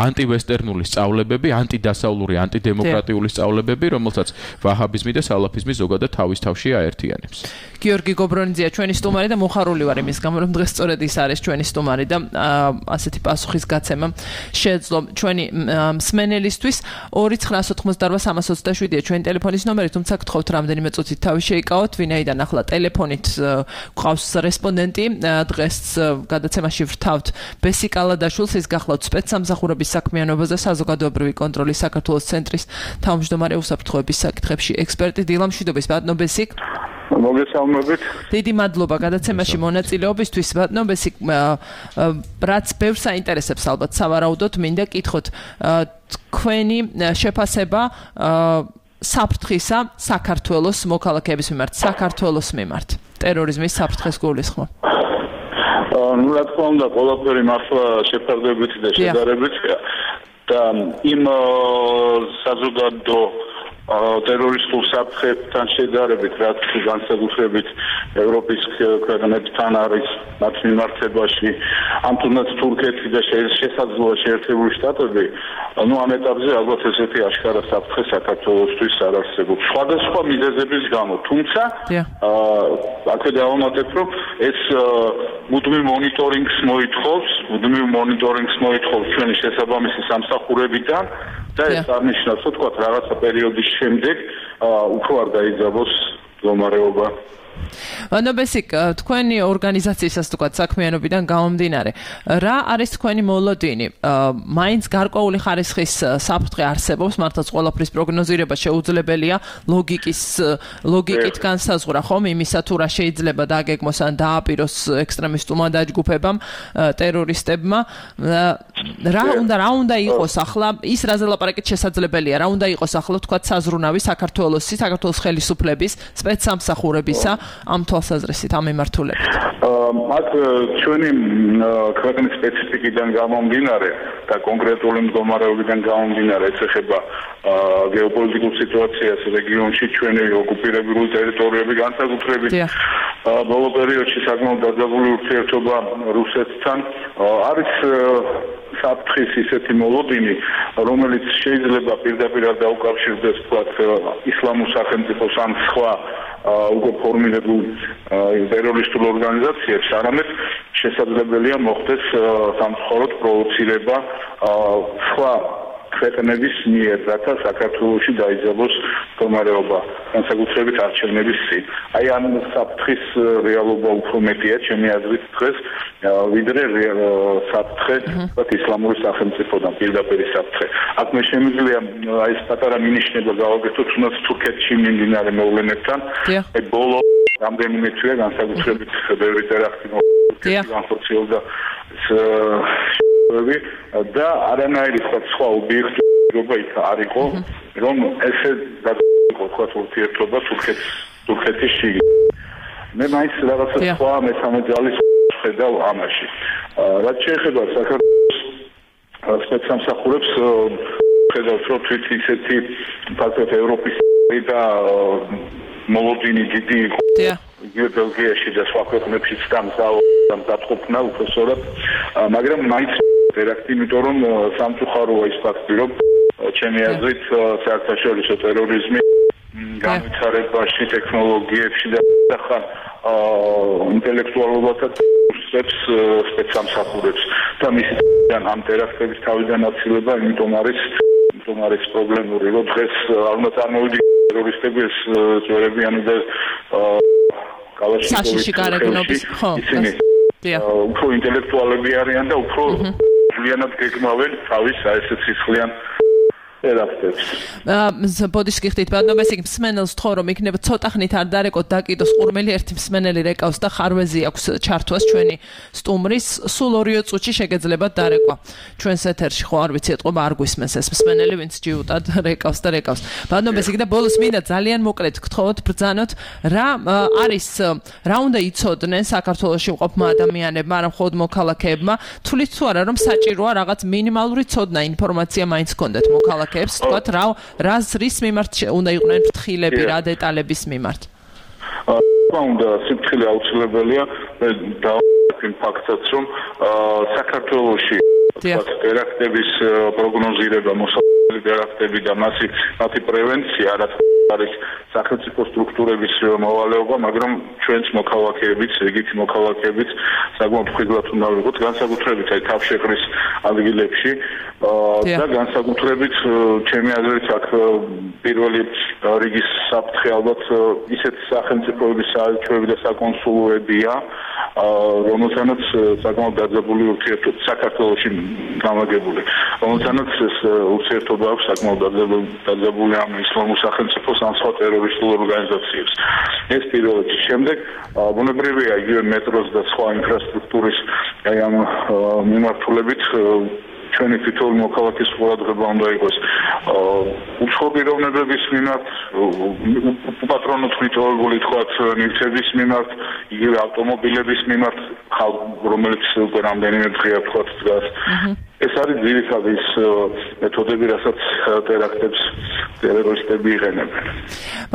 Speaker 7: ანტივესტერნული სწავლებები ანტიდასავლური ანტიდემოკრატიული სწავლებები რომელსაც ვაჰაბიზმი და სალაფიზმი ზოგადად თავის თავში აერთიანებს
Speaker 5: გიორგი გობრონიძეა ჩვენი სტუმარი და მოხარული ვარ იმის გამო რომ დღეს სწორედ ის არის ჩვენი სტუმარი და ასეთი პასუხის გაცემა შეეძლო ჩვენი მსმენელისთვის 2988-327-ია ჩვენი ტელეფონის ნომერი თუმცა გთხოვთ რამდენიმე წუთით თავი შეიკავოთ ვინაიდან ახლა ტელეფონით გვყავს რესპონდენტი დღეს გადაცემაში ვრთავთ ბესი კალადაშვილს ის გახლავთ სპეცსამსახურების საქმიანობაზე საზოგადოებრივი კონტროლის საქართველოს ცენტრის თავმჯდომარე უსაფრთხოების საკითხებში ექსპერტი დილა მშვიდობის ბატონო ბესიკ
Speaker 3: მოგესალმებით.
Speaker 5: დიდი მადლობა გადაცემაში მონაწილეობისთვის ბატონო ბესიკ რაც ბევრს აინტერესებს ალბათ სავარაუდოდ მინდა კითხოთ თქვენი შეფასება საფრთხისა საქართველოს მოქალაქეების მიმართ საქართველოს მიმართ ტერორიზმის საფრთხეს გულისხმობ
Speaker 10: ну რა თქმა უნდა ყველაფერი მართლა შეფარდებითი და შედარებითია და იმ საზოგადო ტერორისტულ საფრთხებთან შედარებით, რაც განსაკუთრებით ევროპის ქვეყნებთან არის მათ მიმართებაში, ამ თუნდაც თურქეთი და შესაძლოა შეერთებული შტატები, ამ ეტაპზე ალბათ ესეთი აშკარა საფრთხე საქართველოსთვის არ არსებობს. სხვადასხვა მიზეზების გამო, თუმცა აქ დავამატებ, რომ ეს მუდმივ მონიტორინგს მოითხოვს ჩვენი შესაბამისი სამსახურებიდან და ეს არნიშნავს, რომ თქვა რაღაცა პერიოდის შემდეგ უფრო არ დაიძაბოს მდგომარეობა.
Speaker 5: ნობესიკ, თქვენი ორგანიზაციისას თქვა საქმიანობიდან გამომდინარე, რა არის თქვენი მოლოდინი? მაინც გარკვეული ხარისხის საფრთხე არსებობს, მართლაც ყველაფრის პროგნოზირება შეუძლებელია, ლოგიკით განსაზღვრა ხომ იმისა თუ რა შეიძლება დაგეგმოს ან დააპიროს ექსტრემისტულმა დაჯგუფებამ, ტერორისტებმა. რა უნდა იყოს ახლა ის რაზე ლაპარაკით შესაძლებელია, რა უნდა იყოს ახლა თქვა საზრუნავი საქართველოს ხელისუფლების სპეცსამსახურებისა ამ თვალსაზრისით, ამ მიმართულებით.
Speaker 10: აქ ჩვენი ქვეყნის სპეციფიკიდან გამომდინარე და კონკრეტული მდგომარეობიდან გამომდინარე, ეს ეხება გეოპოლიტიკურ სიტუაციას რეგიონში, ჩვენი ოკუპირებული ტერიტორიები განსაკუთრებით ბოლო პერიოდში საკმაოდ დაძაბული ურთიერთობა რუსეთთან არის საფრთხის ისეთი მოლოდინი, რომელიც შეიძლება პირდაპირ დაუკავშირდეს თქვათ ისლამურ სახელმწიფოს ან სხვა უკვე ფორმირებულ ტერორისტულ ორგანიზაციებს, არამედ შესაძლებელია მოხდეს სამწუხაროდ პროვოცირება სხვა ქვეყნების მიერ, რათა საქართველოში დაიძაბოს მდგომარეობა, განსაკუთრებით არჩევნების წინ. აი ამ საფრთხის რეალობა უფრო მეტია ჩემი აზრით დღეს, ვიდრე საფრთხე ისლამური სახელმწიფოდან პირდაპირ საფრთხე. აქ მე შემიძლია აი ეს პატარა მინიშნება გავაკეთოთ თუნდაც თურქეთში მიმდინარე მოვლენებთან. აი ბოლო რამდენიმე თვე განსაკუთრებით ბევრი ტერაქტი განხორციელდა და არანაირი სხვა ობიექტურობა იქ არ იყო, რომ ესე დაიწყო თქვა ურთიერთობა თურქეთის შიგნით. მე მაინც რაღაცა სხვა მესამე ძალის ხედავ ამაში. რაც შეეხება საქართველოს სპეცსამსახურებს, ხედავთ, რომ თვით ისეთი ფაქტობრივად ევროპის და მოლოდინი დიდი იყო. ბელგიაში და სხვა ქვეყნებშიც დამძაფრნა უпроსორად, მაგრამ მაინც ტერაქტი, იმიტომ რომ სამწუხაროა ის ფაქტი, რომ ჩემი აზრით საერთაშორისო ტერორიზმი განვითარებაში, ტექნოლოგიებში და ხან ინტელექტუალობასაც სპეცსამსახურებს და მისიდან ამ ტერაქტების თავიდან აცილება, იმიტომ არის პრობლემური, რომ დღეს არ უნდა წარმოვიდგინოთ ტერორისტები ეს წვერებიანი და
Speaker 5: საშიში გარეგნობის
Speaker 10: ისინი უფრო ინტელექტუალები არიან და უფრო ძლიანად გეგმავენ თავის ესეც სისხლიან ტერაქტებს.
Speaker 5: ბოდიში ხდით ბატონებს იქ მსმენელს თქო რომ იქნება ცოტა ხნით არ დარეკოთ დაკიდოს ყურმელი ერთი მსმენელი რეკავს და ხარვეზი აქვს ჩართვას ჩვენი სტუმრის სულ 2 წუთში შეგეძლებათ დარეკვა ჩვენს ეთერში ხო არ ვიცი ეთყობა არ გვისმენს ეს მსმენელი ვინც ჯიუტად რეკავს და რეკავს ბატონებს იქ და ბოლოს მინდა ძალიან მოკლედ გთხოვოთ ბრძანოთ რა არის რა უნდა იცოდნენ საქართველოში მყოფმა ადამიანებმა არა მხოლოდ მოქალაქეებმა თulit თუ არა რომ საჭიროა რაღაც მინიმალური ცოდნა ინფორმაცია მაინც გქონდეთ მოქალაქეებმა თქვათ რის მიმართ უნდა იყვნენ ფრთხილები რა დეტალების მიმართ
Speaker 10: უნდა სიფრთხილე აუცილებელია და იმ ფაქტსაც რომ საქართველოში ტერაქტების პროგნოზირება მოსავალ ტერაქტები და მათი პრევენცია რაც არის სახელმწიფო სტრუქტურების მოვალეობა მაგრამ ჩვენც მოქალაქეებიც რიგითი მოქალაქეებიც საკმაოდ ხშირად უნდა ვიყოთ განსაკუთრებით აი თავშეყრის ადგილებში და განსაკუთრებით ჩემი აზრით აქ პირველი რიგის საფრთხე ალბათ ისეთ სახელმწიფოების საელჩოები და საკონსულოებია რომელთანაც საკმაოდ დაძაბული ურთიერთობა საქართველოში გამაგებული რომელთანაც ეს ურთიერთობა აქვს საკმაოდ დაძაბული ამ ისლამურ სახელმწიფოს ან სხვა ტერორისტულ ორგანიზაციებს ეს პირველ რიგში შემდეგ ბუნებრივია იგივე მეტროს და სხვა ინფრასტრუქტურის აი ამ მიმართულებით ჩვენი თითოეული მოქალაქის ყურადღება უნდა იყოს უცხოური პიროვნებების მიმართ უპატრონოდ მიტოვებული თქვათ ნივთების მიმართ იგივე ავტომობილების მიმართ რომელიც უკვე რამდენიმე დღეა თქვათ დგას ეს არის ძირითადი მეთოდები, რასაც ტერაქტებს ტერორისტები იყენებენ.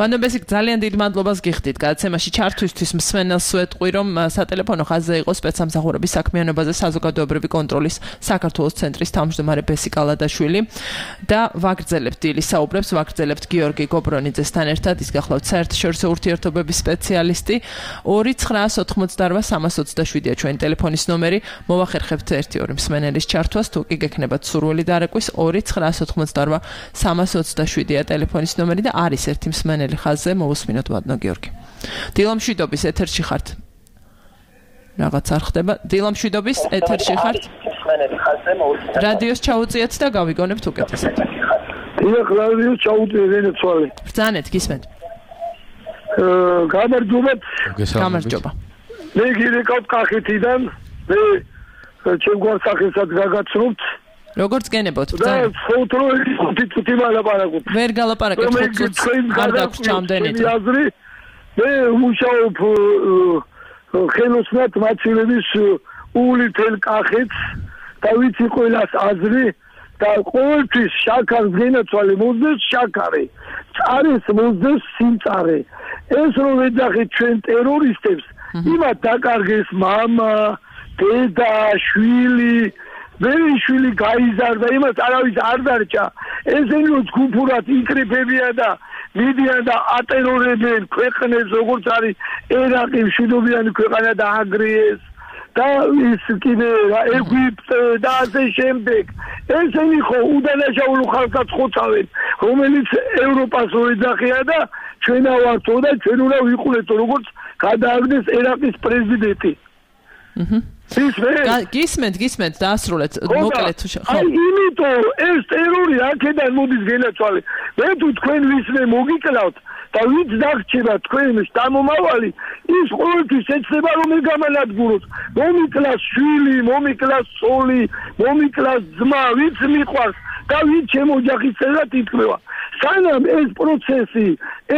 Speaker 5: მანობესიკ ძალიან დიდ მადლობას გიხდით გადაცემაში ჩართვისთვის. მსმენელს ვეტყვი, რომ სატელეფონო ხაზზე იყო სპეცსამსახურების საქმიანობაზე საზოგადოებრივი კონტროლის საქართველოს ცენტრის თავმჯდომარე ბესიკ ალადაშვილი და ვაგრძელებთ დილის საუბრებს, ვაგრძელებთ გიორგი გობრონიძესთან ერთად, ის გახლავთ საერთაშორისო ურთიერთობების სპეციალისტი. 2988-327-ია ჩვენი ტელეფონის ნომერი. მოვახერხებთ 1-2 მსმენელის ჩართვას, თუ კი გექნებათ სურვილი დარეკვის 2988-327-ია ტელეფონის ნომერი და არის ერთი მსმენელი ხაზზე. მოვუსმინოთ ვადნო გიორგი. დილამშვიდობის ეთერში ხართ. რაღაც არ ხდება. დილამშვიდობის ეთერში ხართ. რადიოს ჩაუწიეთ და გავიგონებთ უკეთესად.
Speaker 11: დიახ, რადიოს ჩაუწიეთ ენეცვალე.
Speaker 5: ბრძანეთ, გისმენთ.
Speaker 11: გამარჯობათ.
Speaker 5: გამარჯობა.
Speaker 11: მე გირეკავთ კახეთიდან. მე ჩემ გვარსახელსაც გაგაცნობთ.
Speaker 5: როგორც გენებოთ,
Speaker 11: და ფოტროები თვითი მალაპარაკობთ.
Speaker 5: ვერ გალაპარაკებთ, არ დაგვს ჩამდენით.
Speaker 11: მე მუშაობ ხელოსნად მაცილების ულითელ კახეთს და ვიცი ყველას აზრი და ყოველთვის შაქარს გენაცვალე მოსდეს შაქარი. წარეს მოსდეს სიმწარე. ეს რომ ეძახით ჩვენ ტერორისტებს, იმათ დაკარგეს მამა, დედა, შვილი, მერი შვილი გაიზარდა, იმას არავის არ დარჩა. ესენი ჯგუფურად იკრიფებიან და მიდიან და ატერორებენ ქვეყნებს, როგორც არის ერაყი, მშვიდობიანი ქვეყანა და აგრიეს და ის კიდე ეგვიპტე და ასე შემდეგ. ესენი ხო უდანაშაულო ხალხსაც ხოცავენ, რომელიც ევროპას ოეძახია და ჩვენა ვართო და ჩვენ უნდა ვიყურეთო, როგორც გადააგდეს ერაყის პრეზიდენტი.
Speaker 5: გისმენთ დაასრულეთ მოკლედ ხო
Speaker 11: აი იმიტომ ეს ტერორი აქედან მოდის გენაცვალე მე თუ თქვენ ვისმე მოგიკლავთ და ვიც დაგჭირა თქვენ შთამომავალი ის ყოველთვის ეცდება რომ გამანადგუროთ მომიკლას შვილი მომიკლას სოლი მომიკლას ძმა ვიც მიყვარს და ვიც შემოჯახის წელად ითქვა სანამ ეს პროცესი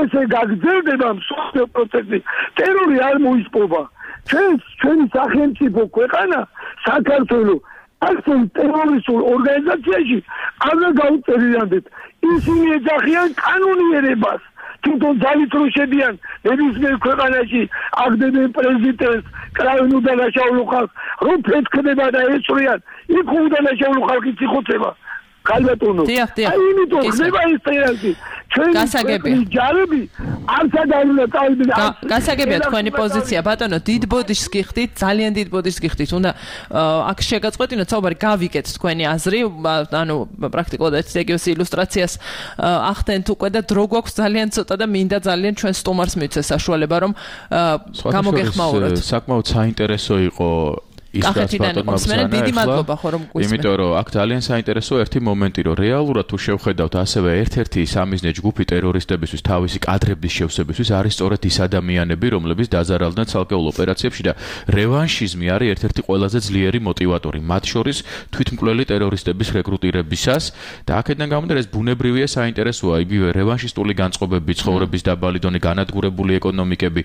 Speaker 11: ესე გაგრძელდება მსოფლიო პროცესი ტერორი არ მოისპობა ჩვენი სახელმწიფო ქვეყანა საქართველოს ასეთ ტერორისტულ ორგანიზაციაში არ გაუწევიანდეთ ისინი ეძახიან კანონიერებას თვითონ ძალით რო შედიან ნებისმიერ ქვეყანაში აგდებენ პრეზიდენტს კრავენ უდანაშაულო ხალხს რომ ფეთქდება და ეწვიან იქ უდანაშაულო ხალხი ციხოცება ხალბატონო აი იმიტომ ხდება ეს ტერორი
Speaker 5: გასაგებია
Speaker 11: ჯარები არც ადარუნა წავიდნენ
Speaker 5: გასაგებია თქვენი პოზიცია ბატონო დიდ ბოდიშს გიხდით ძალიან დიდ ბოდიშს გიხდით უნდა აქ შეგაწყვეტინოთ საუბარი გავიგეთ თქვენი აზრი ანუ პრაქტიკულად ეცდეგიოს ილუსტრაციას ახდენთ უკვე და დრო გვაქვს ძალიან ცოტა და მინდა ძალიან ჩვენ სტუმარს მივცეს საშუალება რომ გამოგეხმაუროთ
Speaker 7: საკმაოდ საინტერესო იყო
Speaker 5: კახეთიდან იყო მსმენელი დიდი მადლობა ხო რომ გვისმენთ
Speaker 7: იმიტომ რომ აქ ძალიან საინტერესო ერთი მომენტი რომ რეალურად თუ შევხედავთ ასევე ერთ-ერთი სამიზნე ჯგუფი ტერორისტებისთვის თავისი კადრების შევსებისთვის არის სწორედ ის ადამიანები რომლებიც დაზარალდნენ ცალკეულ ოპერაციებში და რევანშიზმი არის ერთ-ერთი ყველაზე ძლიერი მოტივატორი მათ შორის თვითმკვლელი ტერორისტების რეკრუტირებისას და აქედან გამომდინარე ეს ბუნებრივია საინტერესოა იგივე რევანშისტული განწყობები ცხოვრების დაბალი დონე განადგურებული ეკონომიკები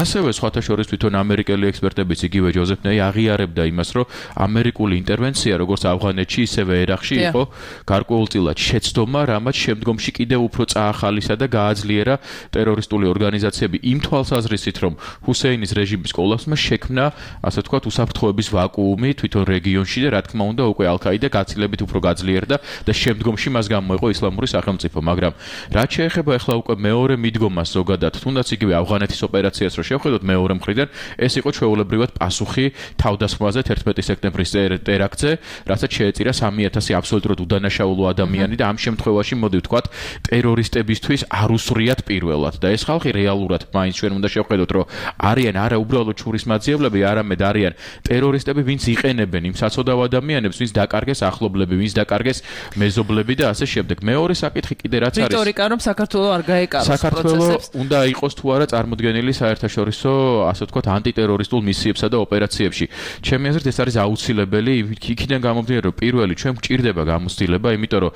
Speaker 7: ასევე სხვათა შორის თვითონ ამერიკელი ექსპერტებიც იგივე ჯოზეფ ნეი აღიარებდა იმას, რომ ამერიკული ინტერვენცია, როგორც ავღანეთში, ისევე ერაყში იყო გარკვეულწილად შეცდომა, რამაც შემდგომში კიდევ უფრო წაახალისა და გააძლიერა ტერორისტული ორგანიზაციები იმ თვალსაზრისით, რომ ჰუსეინის რეჟიმის კოლაფსმა შექმნა, ასე ვთქვათ, უსაფრთხოების ვაკუუმი თვითონ რეგიონში და რა თქმა უნდა, უკვე ალ-ყაიდა გაცილებით უფრო გაძლიერდა და შემდგომში მას გამოეყო ისლამური სახელმწიფო, მაგრამ რაც შეეხება ახლა უკვე მეორე მიდგომას ზოგადად, თუნდაც იგივე ავღანეთის ოპერაციას რო შევხედოთ მეორე მხრიდან, ეს იყო ჩვეულებრივად პასუხი თავდასხმაზე 11 სექტემბრის ტერაქტზე, რასაც შეეწირა 3000 აბსოლუტურად უდანაშაულო ადამიანი და ამ შემთხვევაში მოდი ვთქვათ, ტერორისტებისთვის არ უსრიათ პირველად და ეს ხალხი რეალურად მაინც ჩვენ უნდა შევხედოთ, რომ არიან არა უბრალოდ ჩურისმაძიებლები, არამედ არიან ტერორისტები, ვინც იყენებენ იმ საცოდავ ადამიანებს, ვინც დაკარგეს ახლობლები, ვინც დაკარგეს მეზობლები და ასე შემდეგ. მეორე საკითხი კიდე რაც არის
Speaker 5: რიტორიკა რომ საქართველოს არ გაეკაროს
Speaker 7: საქართველოს უნდა იყოს თუ არა წარმოდგენილი საერთაშორისო, ასე ვთქვათ, ანტიტერორისტულ მისიებსა და ოპერაციებში. ჩემი აზრით ეს არის აუცილებელი იქიდან გამომდინარე რომ პირველი ჩვენ გვჭირდება გამოცდილება იმიტომ რომ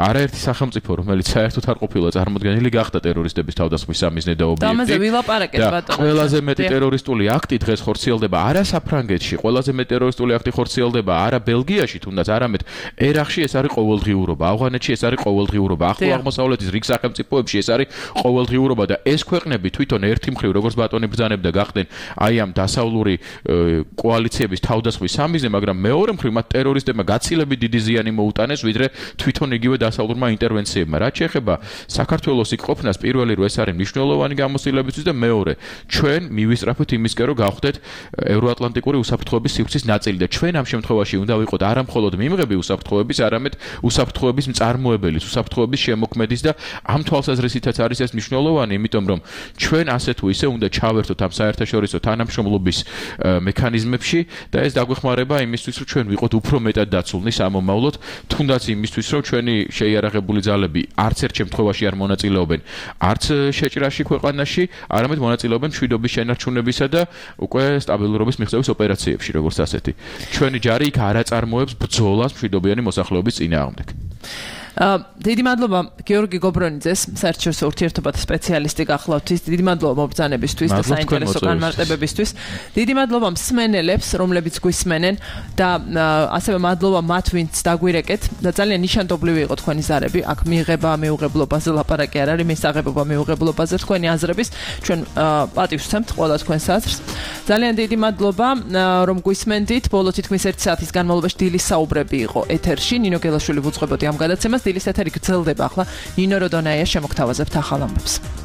Speaker 7: არაერთი სახელმწიფო რომელიც საერთოდ არ ყოფილა წარმოდგენილი გახდა ტერორისტების თავდასხმის სამიზნე და ობიექტი.
Speaker 5: ამაზე ვილაპარაკეთ ბატონო.
Speaker 7: ყველაზე მეტი ტერორისტული აქტი დღეს ხორციელდება არა საფრანგეთში, ყველაზე მეტი ტერორისტული აქტი ხორციელდება არა ბელგიაში, თუნდაც არამედ ერაყში ეს არის ყოველდღიურობა, ავღანეთში ეს არის ყოველდღიურობა, ახლო აღმოსავლეთის რიგ სახელმწიფოებში ეს არის ყოველდღიურობა და ეს ქვეყნები თვითონ ერთი მხრივ როგორც ბატონი ბრძანებდა გახდნენ აი ამ დასავლური კოალიციების თავდასხმის სამიზნე, მაგრამ მეორე მხრივ მათ ტერორისტებმა გაცილებით დიდი ზიანი მოუტანეს, ვიდრე თვითონ იგივე დასავლურმა ინტერვენციებმა. რაც შეეხება საქართველოს იქ ყოფნას, პირველი რომ ეს არის მნიშვნელოვანი გამოცდილებისთვის და მეორე, ჩვენ მივისწრაფოთ იმისკენ რომ გავხდეთ ევროატლანტიკური უსაფრთხოების სივრცის ნაწილი და ჩვენ ამ შემთხვევაში უნდა ვიყოთ არა მხოლოდ მიმღები უსაფრთხოების, არამედ უსაფრთხოების მწარმოებელის, უსაფრთხოების შემოქმედის და ამ თვალსაზრისითაც არის ეს მნიშვნელოვანი, იმიტომ რომ ჩვენ ასე თუ ისე უნდა ჩავერთოთ ამ საერთაშორისო თანამშრომლობის მექანიზმებში და ეს დაგვეხმარება იმისთვის, რომ ჩვენ ვიყოთ უფრო მეტად დაცულნი სამომავლოდ, თუნდაც იმისთვის, რომ ჩვენი შეიარაღებული ძალები არც ერთ შემთხვევაში არ მონაწილეობენ არც შეჭრაში ქვეყანაში, არამედ მონაწილეობენ მშვიდობის შენარჩუნებისა და უკვე სტაბილურობის მიღწევის ოპერაციებში, როგორც ასეთი. ჩვენი ჯარი იქ არ აწარმოებს ბრძოლას მშვიდობიანი მოსახლეობის წინააღმდეგ.
Speaker 5: დიდი მადლობა გიორგი გობრონიძეს, საერთაშორისო ურთიერთობათა სპეციალისტი გახლავთ. დიდი მადლობა მობრძანებისთვის და საინტერესო განმარტებებისთვის. დიდი მადლობა მსმენელებს, რომლებიც გვისმენენ და ასევე მადლობა მათ, ვინც დაგვირეკეთ და ძალიან ნიშანდობლივი იყო თქვენი ზარები. აქ მიიღება მეუღებლობაზე ლაპარაკი არ არის, მისაღებობა მეუღებლობაზე თქვენი აზრების. ჩვენ პატივს ვცემთ ყველა თქვენს აზრს. ძალიან დიდი მადლობა რომ გვისმენდით. ბოლო თითქმის 1 საათის განმავლობაში დილის საუბრები იყო ეთერში. ნინო გელაშვილი ვუძღვებოდი ამ გადაცემას. დილის ეთერი გრძელდება ახლა. ნინო როდონაია შემოგთავაზებთ ახალ ამბებს.